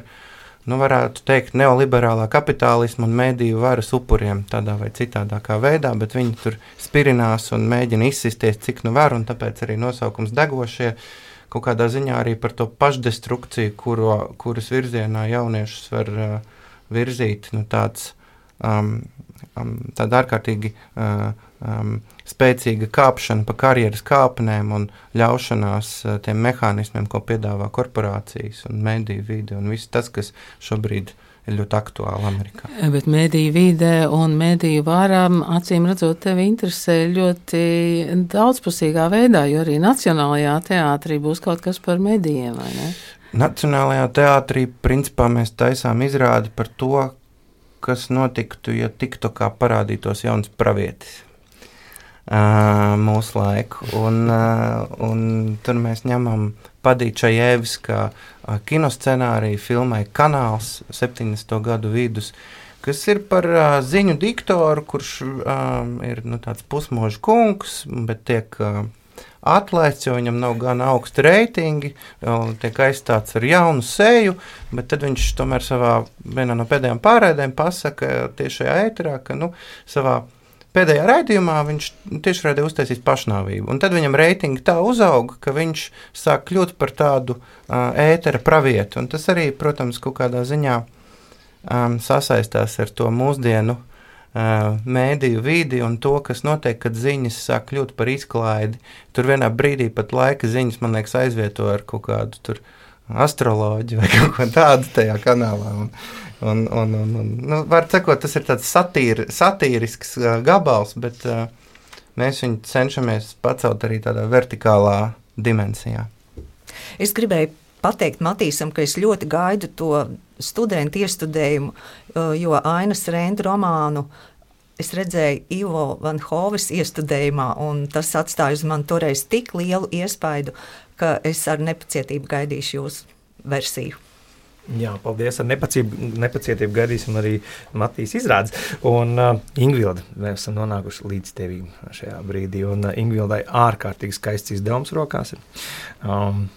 Speaker 5: nu varētu teikt, neoliberālā kapitālisma un mediju varas upuriem tādā vai citādākā veidā, bet viņi tur spirinās un mēģina izsisties, cik nu var, un tāpēc arī nosaukums Degošie kaut kādā ziņā arī par to pašdestrukciju, kuro, kuras virzienā jauniešus var uh, virzīt, nu tāds um, Um, tāda ārkārtīgi uh, um, spēcīga kāpšana pa karjeras kāpnēm un ļaušanās uh, tiem mehānismiem, ko piedāvā korporācijas un mediju vide un viss tas, kas šobrīd ir ļoti aktuāli Amerikā.
Speaker 3: Bet mediju vide un mediju vārām, acīm redzot, tevi interesē ļoti daudzpusīgā veidā, jo arī Nacionālajā teātrī būs kaut kas par medijiem, vai ne?
Speaker 5: Nacionālajā teātrī principā mēs taisām izrādi par to, kas notiktu, ja tiktu kā parādītos jauns pravietis uh, mūsu laiku. Un, uh, un tur mēs ņemam Padīča Jēviskā uh, kinoscenāriju filmai Kanāls septiņdesmito gadu vidus, kas ir par uh, ziņu diktoru, kurš uh, ir nu, tāds pusmoža kungs, bet tiek uh, atlaists, jo viņam nav gan augsti reitingi, tiek aizstāts ar jaunu seju, bet tad viņš tomēr savā vienā no pēdējām pārraidēm pasaka tiešajā ēterā, ka nu, savā pēdējā raidījumā viņš tiešraidē uztaisīs pašnāvību. Un tad viņam reitingi tā uzauga, ka viņš sāk kļūt par tādu uh, ētera pravietu. Un tas arī, protams, kaut kādā ziņā um, sasaistās ar to mūsdienu mēdīju vidi un to, kas notiek, kad ziņas sāk kļūt par izklaidi. Tur vienā brīdī pat laika ziņas, man liekas, aizvieto ar kaut kādu tur astroloģiju vai kaut ko tādu tajā kanālā. Un, un, un, un, un nu, var sakot, tas ir tāds satīri, satīrisks uh, gabals, bet uh, mēs viņu cenšamies pacelt arī tādā vertikālā dimensijā.
Speaker 13: Es gribēju pateikt Matīsam, ka es ļoti gaidu to studentu iestudējumu, jo Ainas Renda romānu es redzēju Ivo Van Hoves iestudējumā, un tas atstāja uz mani toreiz tik lielu iespaidu, ka es ar nepacietību gaidīšu jūsu versiju.
Speaker 2: Jā, paldies. Ar nepacietību, nepacietību gaidīsim arī Matīs izrādes. Un uh, Ingvilda, mēs esam nonākuši līdz tevīm šajā brīdī. Un uh, Ingvildai ārkārtīgi skaists izdevums rokās ir. Um,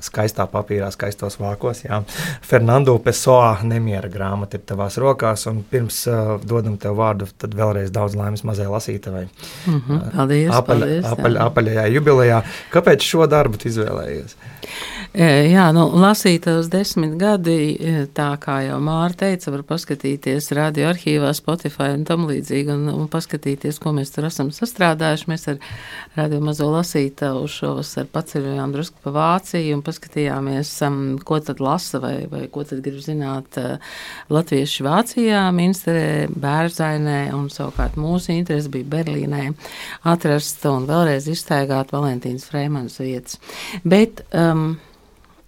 Speaker 2: skaistā papīrā, skaistos vākos. Jā. Fernando Pessoa Nemiera grāmata ir tavās rokās. Un pirms uh, dodam tev vārdu, tad vēlreiz daudz laimes mazai lasītavai.
Speaker 3: Mm-hmm. Paldies,
Speaker 2: uh, apaļ,
Speaker 3: paldies.
Speaker 2: Apaļ, apaļajā jubilejā. Kāpēc šo darbu tu izvēlējies?
Speaker 3: Jā, nu, lasītavas desmit gadi, tā kā jau Māra teica, var paskatīties radio arhīvā, Spotify un tam līdzīgi, un, un paskatīties, ko mēs tur esam sastrādājuši. Mēs ar radio mazo lasītavu šovasar paceļojām drusku pa Vāciju un paskatījāmies, um, ko tad lasa vai, vai ko tad grib zināt uh, latvieši Vācijā, Minsterē, Bērzainē, un savukārt mūsu interesi bija Berlīnē atrast un vēlreiz izstaigāt Valentīnas Freimanas vietas. Bet, um,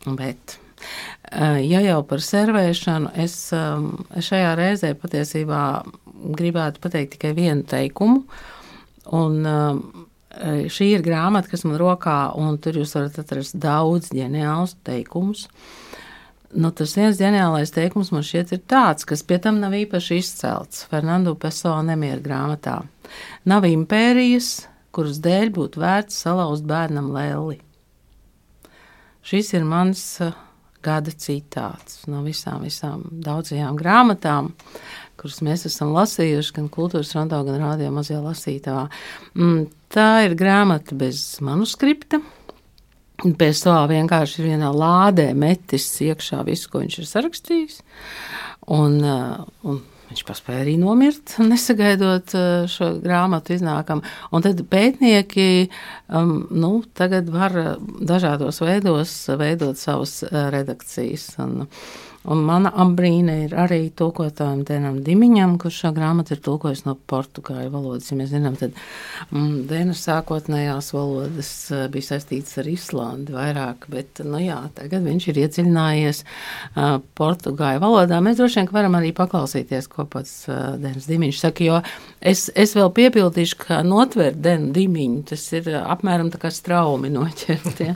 Speaker 3: Bet, ja jau par servēšanu, es šajā reizē patiesībā gribētu pateikt tikai vienu teikumu, un šī ir grāmata, kas man rokā, un tur jūs varat atrast daudz ģeniālus teikumus. Nu, tas viens ģeniālais teikums man šķiet ir tāds, kas pie tam nav īpaši izcelts Fernando Pessoa Nemiera grāmatā. Nav impērijas, kuras dēļ būtu vērts salauzt bērnam lelli. Šis ir mans gada citāts no visām, visām daudzajām grāmatām, kuras mēs esam lasījuši gan Kultūras Rondo, gan radio mazajā lasītavā. Tā ir grāmata bez manuskripta. Pēc to vienkārši ir vienā lādē metis iekšā visu, ko viņš ir sarakstījis. Un, un viņš paspēja arī nomirt, nesagaidot šo grāmatu iznākam. Un tad pētnieki um, nu, tagad var dažādos veidos veidot savas redakcijas. Un, un mana ambrīne ir arī tulkotājiem Denam Dimiņam, kurš šo grāmatu ir tulkojis no portugāļu valodas. Ja mēs zinām, tad mm, Denas sākotnējās valodas bija saistītas ar Islandi vairāk, bet, nu jā, tagad viņš ir iedziļinājies uh, portugāļu valodā. Mēs droši vien varam arī paklausīties, ko pats uh, Denis Dimiņš saka, jo es, es vēl piepildīšu, ka notvērt Denu Dimiņu, tas ir uh, apmēram tā kā straumi noķert. Ja,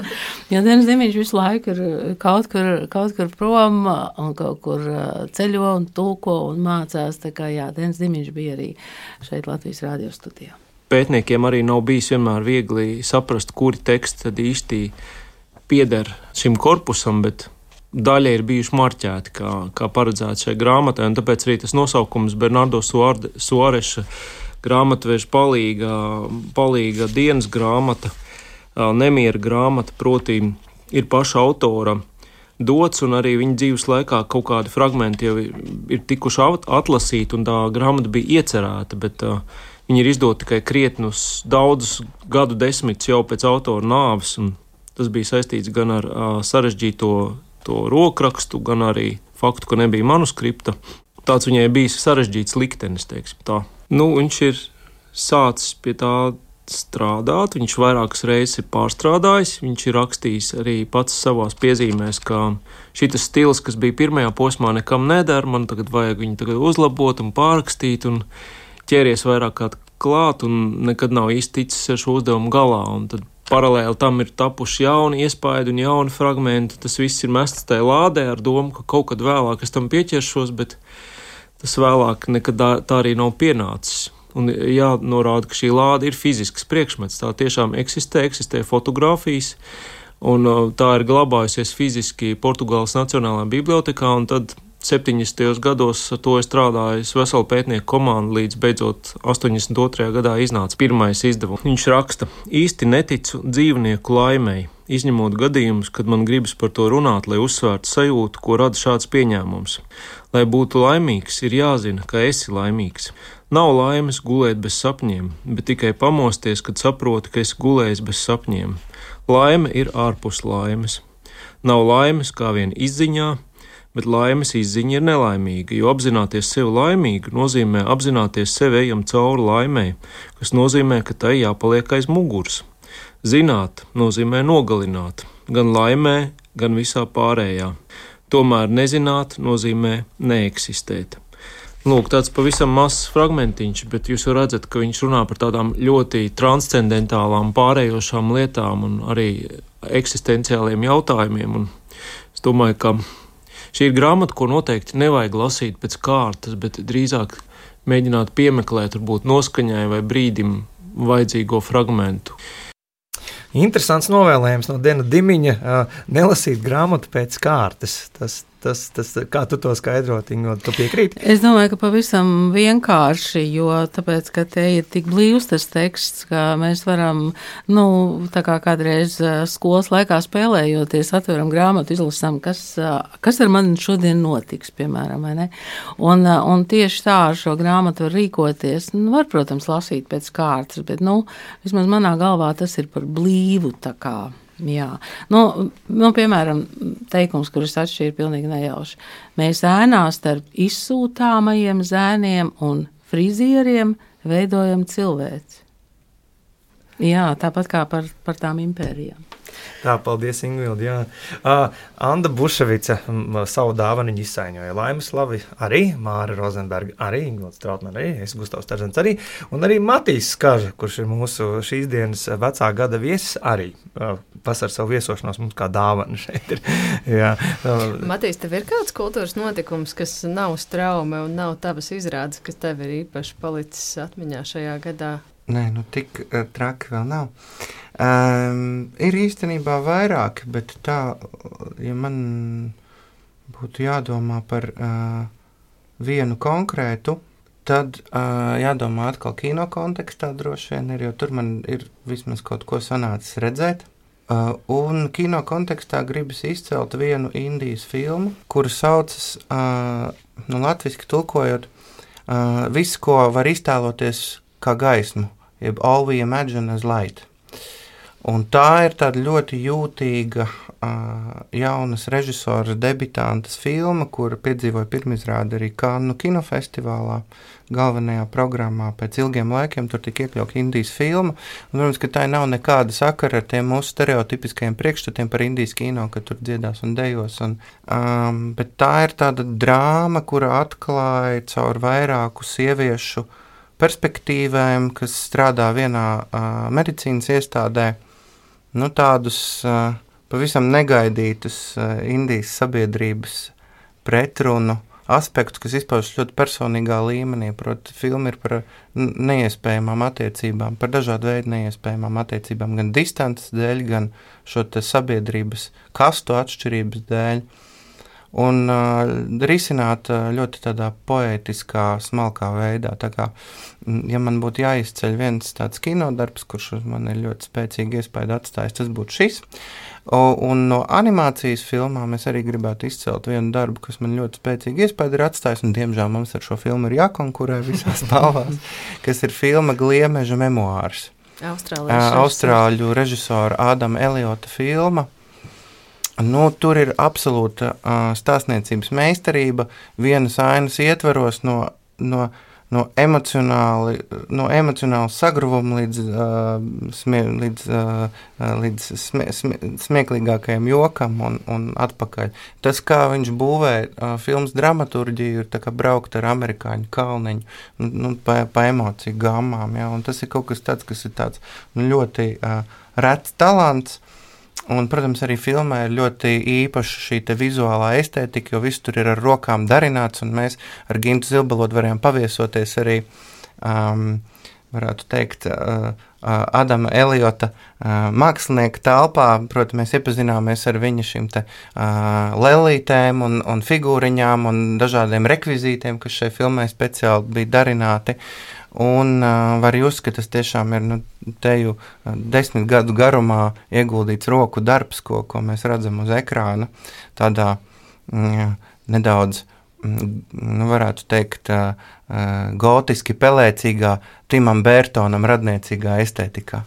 Speaker 3: ja Denis Dimiņš visu laiku ir kaut kur, kaut kur prom, un kaut kur ceļo un tulko un mācās. Tā kā jā, Denis Dimiņš bija arī šeit Latvijas radio studijā.
Speaker 18: Pētniekiem arī nav bijis vienmēr viegli saprast, kuri teksti tad īsti pieder šim korpusam, bet daļa ir bijuši marķēti, kā, kā paredzēts šai grāmatai, un tāpēc arī tas nosaukums Bernardo Suareša grāmatveža palīga, palīga dienas grāmata, Nemiera grāmata, proti ir paša autora dots, un arī viņa dzīves laikā kaut kādi fragmenti jau ir, ir tikuši atlasīti, un tā grāmata bija iecerēta, bet uh, viņa ir izdota tikai krietnus daudzus gadu desmitus jau pēc autora nāves, un tas bija saistīts gan ar uh, sarežģīto to rokrakstu, gan arī faktu, ka nebija manuskripta. Tāds viņai bijis sarežģīts liktenis, teiksim tā. Nu, viņš ir sācis pie tā strādāt. Viņš vairākas reizes ir pārstrādājis. Viņš ir rakstījis arī pats savās piezīmēs, ka šitas stils, kas bija pirmajā posmā, nekam neder. Man tagad vajag viņu tagad uzlabot un pārrakstīt un ķēries vairāk kā klāt un nekad nav īsti ticis ar šo uzdevumu galā. Un tad paralēli tam ir tapuši jauni iespaidi un jauni fragmenti. Tas viss ir mests tajā lādē ar domu, ka kaut kad vēlāk es tam pieķeršos, bet tas vēlāk nekad tā arī nav pienācis. Un jānorāda, ka šī lāde ir fizisks priekšmets. Tā tiešām eksistē, eksistē fotogrāfijas, un tā ir glabājusies fiziski Portugāles Nacionālajā bibliotekā, un tad septiņdesmitajos gados ar to ir strādājis vesela pētnieku komanda, līdz beidzot astoņdesmit otrajā gadā iznāca pirmais izdevums. Viņš raksta: īsti neticu dzīvnieku laimei, izņemot gadījumus, kad man gribas par to runāt, lai uzsvērtu sajūtu, ko rada šāds pieņēmums. Lai būtu laimīgs, ir jāzina, ka esi laimīgs. Nav laimes gulēt bez sapņiem, bet tikai pamosties, kad saproti, ka esi gulējis bez sapņiem. Laime ir ārpus laimes. Nav laimes kā vien izziņā, bet laimes izziņa ir nelaimīga, jo apzināties sevi laimīgu nozīmē apzināties sevi ejam cauri laimei, kas nozīmē, ka tai jāpaliek aiz muguras. Zināt nozīmē nogalināt, gan laimē, gan visā pārējā. Tomēr nezināt nozīmē neeksistēt. Lūk, tāds pavisam mazs fragmentiņš, bet jūs jau redzat, ka viņš runā par tādām ļoti transcendentālām, pārējošām lietām un arī eksistenciāliem jautājumiem. Un es domāju, ka šī ir grāmata, ko noteikti nevajag lasīt pēc kārtas, bet drīzāk mēģināt piemeklēt, varbūt noskaņai vai brīdim vajadzīgo fragmentu.
Speaker 2: Interesants novēlējums no Dena Dimiņa – nelasīt grāmatu pēc kārtas. Tas, tas, tas, kā tu to skaidrot, Ingo, tu piekrīti?
Speaker 3: Es domāju, ka pavisam vienkārši, jo tāpēc, ka te ir tik blīvs tas teksts, ka mēs varam, nu, tā kā kādreiz skolas laikā spēlējoties, atveram grāmatu, izlasām, kas, kas ar mani šodien notiks, piemēram, vai ne? Un, un tieši tā ar šo grāmatu var rīkoties. Nu, var, protams, lasīt pēc kārtas, bet, nu, vismaz manā galvā tas ir par blīvu, tā kā. Jā, nu, nu, piemēram, teikums, kurus atšķīra pilnīgi nejauši. Mēs ēnā starp izsūtāmajiem zēniem un frizieriem veidojam cilvēci. Jā, tāpat kā par, par tām impērijām.
Speaker 2: Tā, paldies, Ingvildi, jā. Uh, Anda Buševica savu dāvanu izsaiņoja. Laimas Slavi arī, Māra Rozenberga arī, Ingvilds Trautman arī, es Gustavs Tarzens arī, un arī Matīs Skaža, kurš ir mūsu šīs dienas vecā gada viesis arī. Uh, pasar savu viesošanos mums kā dāvanu šeit ir. Jā. Uh,
Speaker 4: Matīs, tev ir kāds kultūras notikums, kas nav straume un nav tavas izrādes, kas tev ir īpaši palicis atmiņā šajā gadā?
Speaker 5: Nē, nu tik uh, traki vēl nav. Um, ir īstenībā vairāki, bet tā, ja man būtu jādomā par uh, vienu konkrētu, tad uh, jādomā atkal kino kontekstā droši vien ir, jo tur man ir vismaz kaut ko sanācis redzēt. Uh, un kino kontekstā gribas izcelt vienu Indijas filmu, kuru saucas, uh, nu latviski tulkojot, uh, viss, ko var iztēloties kā gaismu, jeb all we imagine as light. Un tā ir tāda ļoti jūtīga uh, jaunas režisoras debitantes filma, kura piedzīvoja pirmizrādi arī Kannu kinofestivālā, galvenajā programmā. Pēc ilgiem laikiem tur tika iekļauta Indijas filma. Un, protams, ka tā nav nekāda sakara ar tiem mūsu stereotipiskajiem priekšstatiem par Indijas kino, ka tur dziedās un dejos. Un, um, bet tā ir tāda drāma, kura atklāja caur vairāku sieviešu perspektīvēm, kas strādā vienā uh, medicīnas iestādē, nu, tādus uh, pavisam negaidītus uh, Indijas sabiedrības pretrunu aspektus, kas izpaužas ļoti personīgā līmenī. Proti, filma ir par neiespējamām attiecībām, par dažādu veidu neiespējamām attiecībām, gan distances dēļ, gan šo te sabiedrības kastu atšķirības dēļ. Un uh, risināt uh, ļoti tādā poētiskā, smalkā veidā. Tā kā, ja man būtu jāizceļ viens tāds kinodarbs, kurš uz mani ir ļoti spēcīgi iespaidu atstājis, tas būtu šis. O, un no animācijas filmām es arī gribētu izcelt vienu darbu, kas man ļoti spēcīgi iespaidu ir atstājis, un diemžēl mums ar šo filmu ir jākonkurē visās balvās, kas ir filma Gliemeža memoārs. Uh, Austrāļu režisora Ādama Eliota filma. Nu, tur ir absolūta uh, stāstniecības meistarība, vienas ainas ietveros no, no no emocionāli, no emocionāli sagruvuma līdz, uh, smie, līdz, uh, līdz smie, smie, smieklīgākajam jokam un, un atpakaļ. Tas, kā viņš būvē uh, filmas dramaturģiju, ir tā kā braukt ar amerikāņu kalniņu, nu, pa, pa emociju gammām, ja, un tas ir kaut kas tāds, kas ir tāds nu, ļoti uh, rets talants. Un, protams, arī filmā ir ļoti īpaša šī vizuālā estētika, jo viss tur ir ar rokām darināts, un mēs ar Gintu Zilbalodu varējām paviesoties arī, um, varētu teikt, uh, uh, Adama Eliota uh, mākslinieka telpā. Protams, mēs iepazināmies ar viņa šīm te uh, lelītēm un, un figūriņām un dažādiem rekvizītiem, kas šai filmai speciāli bija darināti. Un uh, var just, ka tas tiešām ir nu, teju uh, desmit gadu garumā ieguldīts roku darbs, ko, ko mēs redzam uz ekrāna, tādā mm, nedaudz, mm, nu, varētu teikt, uh, uh, gotiski pelēcīgā, Timam Bērtonam radniecīgā estētikā.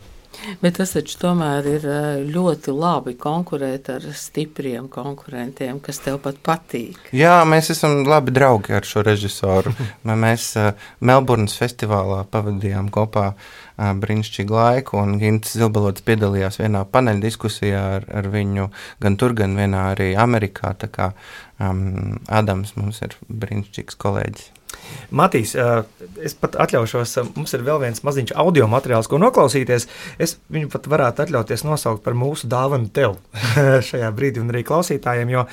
Speaker 3: Bet tas taču tomēr ir ļoti labi konkurēt ar stipriem konkurentiem, kas tev pat patīk.
Speaker 5: Jā, mēs esam labi draugi ar šo režisoru. Mēs uh, Melburnas festivālā pavadījām kopā uh, brīnišķīgu laiku, un Gints Zilbalods piedalījās vienā paneļa diskusijā ar, ar viņu gan tur, gan vienā arī Amerikā. Tā kā um, Adams mums ir brīnišķīgs kolēģis.
Speaker 2: Matīs, es pat atļaušos, mums ir vēl viens maziņš audio materiāls, ko noklausīties. Es viņu pat varētu atļauties nosaukt par mūsu dāvanu tev šajā brīdī un arī klausītājiem, jo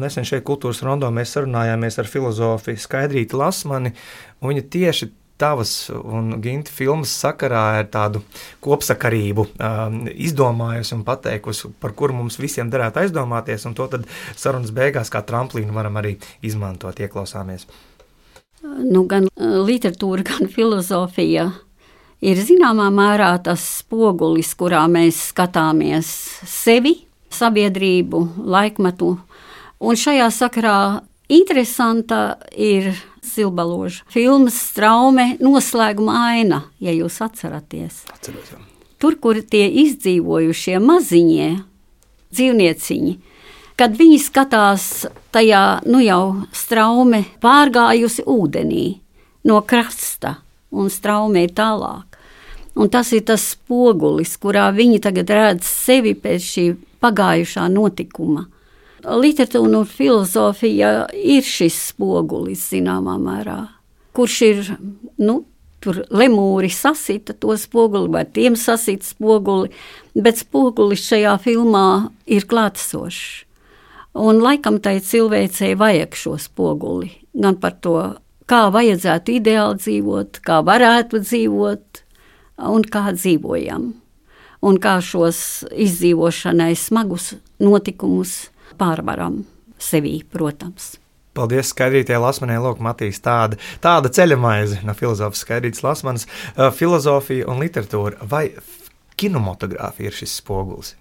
Speaker 2: nesen šeit Kultūras rondo mēs sarunājāmies ar filozofu Skaidrīti Lasmani, un viņa tieši tavas un Ginta filmas sakarā ir tādu kopsakarību um, izdomājusi un pateikusi, par kuru mums visiem derētu aizdomāties, un to tad sarunas beigās kā tramplīnu varam arī izmantot, ieklausāmies.
Speaker 19: Nu, gan literatūra, gan filozofija ir zināmā mērā tas spogulis, kurā mēs skatāmies sevi, sabiedrību, laikmetu. Un šajā sakarā interesanta ir Zilbaloža filmas Straume noslēguma aina, ja jūs atceraties.
Speaker 2: Atceros, jā.
Speaker 19: Tur, kur tie izdzīvojušie maziņie dzīvnieciņi, kad viņi skatās tajā, nu jau Straume pārgājusi ūdenī no krasta, un Straume ir tālāk. Un tas ir tas spogulis, kurā viņi tagad redz sevi pēc šī pagājušā notikuma. Literatūra un filozofija ir šis spogulis, zināmā mērā, kurš ir, nu, tur lemūri sasita to spoguli, vai tiem sasita spoguli, bet spogulis šajā filmā ir klātesošs. Un laikam tai cilvēcei vajag šo spoguli, gan par to, kā vajadzētu ideāli dzīvot, kā varētu dzīvot un kā dzīvojam. Un kā šos izdzīvošanai smagus notikumus pārvaram sevī, protams.
Speaker 2: Paldies Skaidrītē Lasmanē, lūk, Matīs, tāda, tāda ceļamaize no filozofas Skaidrītes Lasmanas. Uh, filozofija un literatūra vai kinematogrāfija ir šis spogulis?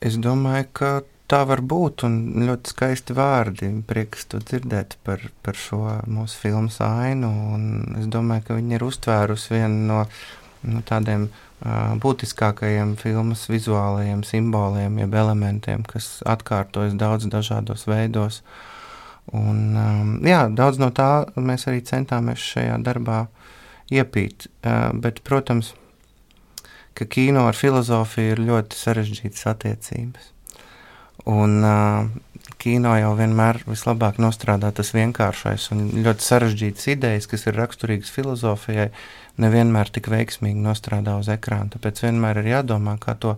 Speaker 5: Es domāju, ka tā var būt, un ļoti skaisti vārdi. Prieks to dzirdēt par, par šo mūsu filmas ainu, un es domāju, ka viņi ir uztvērusi vienu no, no tādiem uh, būtiskākajiem filmas vizuālajiem simboliem, jeb elementiem, kas atkārtojas daudz dažādos veidos. Un, um, jā, daudz no tā mēs arī centāmies šajā darbā iepīt, uh, bet, protams, ka kino ar filozofiju ir ļoti sarežģītas attiecības. Un uh, kino jau vienmēr vislabāk nostrādā tas vienkāršais un ļoti sarežģītas idejas, kas ir raksturīgas filozofijai, nevienmēr tik veiksmīgi nostrādā uz ekrāna. Tāpēc vienmēr ir jādomā, kā to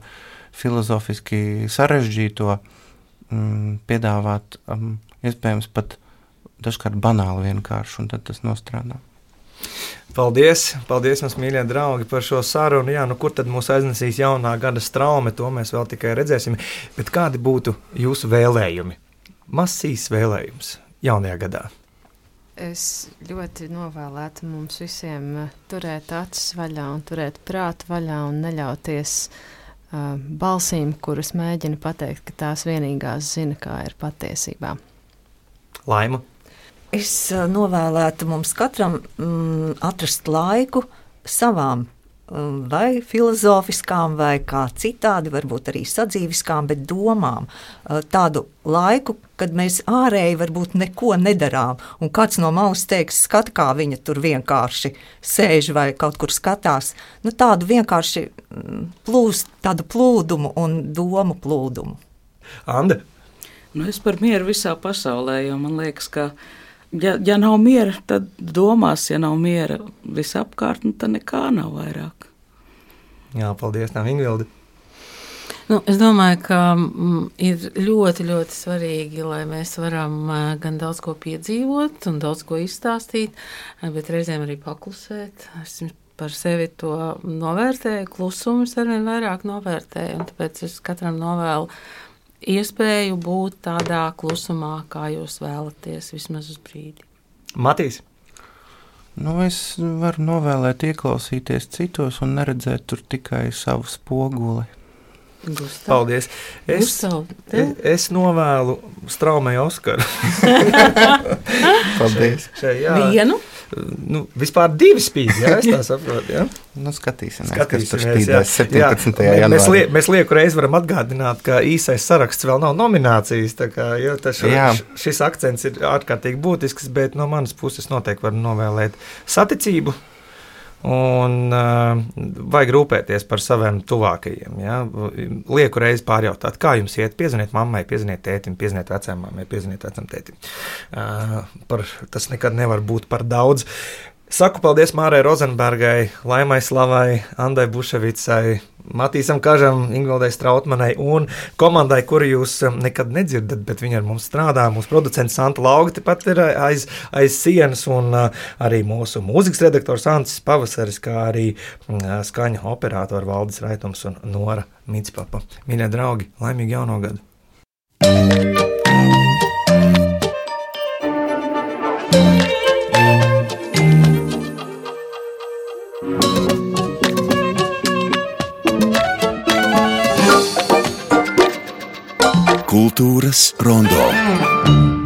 Speaker 5: filozofiski sarežģīto mm, piedāvāt, um, iespējams pat dažkārt banāli vienkārši, un tad tas nostrādā.
Speaker 2: Paldies, paldies mums, mīļie draugi, par šo sarunu. Jā, nu kur tad mūs aiznesīs jaunā gada Straume, to mēs vēl tikai redzēsim. Bet kādi būtu jūsu vēlējumi? Masīs vēlējums jaunajā gadā.
Speaker 4: Es ļoti novēlētu mums visiem turēt acis vaļā un turēt prātu vaļā un neļauties uh, balsīm, kuras mēģina pateikt, ka tās vienīgās zina, kā ir patiesībā.
Speaker 2: Laima?
Speaker 13: Es novēlētu mums katram mm, atrast laiku savām vai filozofiskām, vai kā citādi, varbūt arī sadzīviskām, bet domām. Tādu laiku, kad mēs ārēji varbūt neko nedarām, un kāds no malas teiks, skata, kā viņa tur vienkārši sēž vai kaut kur skatās. Nu, tādu vienkārši plūst, tādu plūdumu un domu plūdumu.
Speaker 2: Ande?
Speaker 11: Nu, es par mieru visā pasaulē, jo man liekas, ka Ja, ja nav miera, tad domās, ja nav miera visapkārt, nu, tad nekā nav vairāk.
Speaker 2: Jā, paldies, nav Ingvilde.
Speaker 3: Nu, es domāju, ka mm, ir ļoti, ļoti svarīgi, lai mēs varam gan daudz ko piedzīvot un daudz ko izstāstīt, bet reizēm arī paklusēt. Es par sevi to novērtēju, klusumus arvien vairāk novērtēju, un tāpēc es katram novēlu iespēju būt tādā klusumā, kā jūs vēlaties, vismaz uz brīdi.
Speaker 2: Matīs?
Speaker 5: Nu, es varu novēlēt ieklausīties citos un neredzēt tur tikai savu spoguli.
Speaker 3: Gustav.
Speaker 2: Paldies. Es,
Speaker 3: Gustav,
Speaker 2: es, es novēlu Straumei Oskaru.
Speaker 5: Paldies.
Speaker 2: Šai, jā.
Speaker 3: Vienu?
Speaker 2: Nu, vispār divi spīd, jā, es tā saprotu, jā.
Speaker 5: Nu, skatīsimies,
Speaker 2: skatīsimies,
Speaker 5: kas tur spīdēs septiņpadsmitajā janvārī.
Speaker 2: Mēs, lie, mēs lieku reizi varam atgādināt, ka īsais saraksts vēl nav nominācijas, tā kā, jo šo, šis akcents ir ārkārtīgi būtisks, bet no manas puses noteikti var novēlēt saticību. Un uh, vajag rūpēties par saviem tuvākajiem. Ja? Lieku reizi pārjautāt, kā jums iet, piezvaniet mammai, piezvaniet tētim, piezvaniet vecām mammai, piezvaniet vecam tētim. Uh, par, tas nekad nevar būt par daudz. Saku paldies Mārai Rozenbergai, Laimai Slavai, Andai Buševicai, Matīsam Kažam, Ingvildai Strautmanai un komandai, kuru jūs nekad nedzirdat, bet viņi ar mums strādā. Mūsu producents Santa Lauga tepat ir aiz, aiz sienas, un arī mūsu mūzikas redaktors Ancis Pavasaris, kā arī skaņa operatori Valdis Raitums un Nora Mitspapa. Mīļie draugi, laimīgi jauno gadu!
Speaker 10: Kultūras rondo.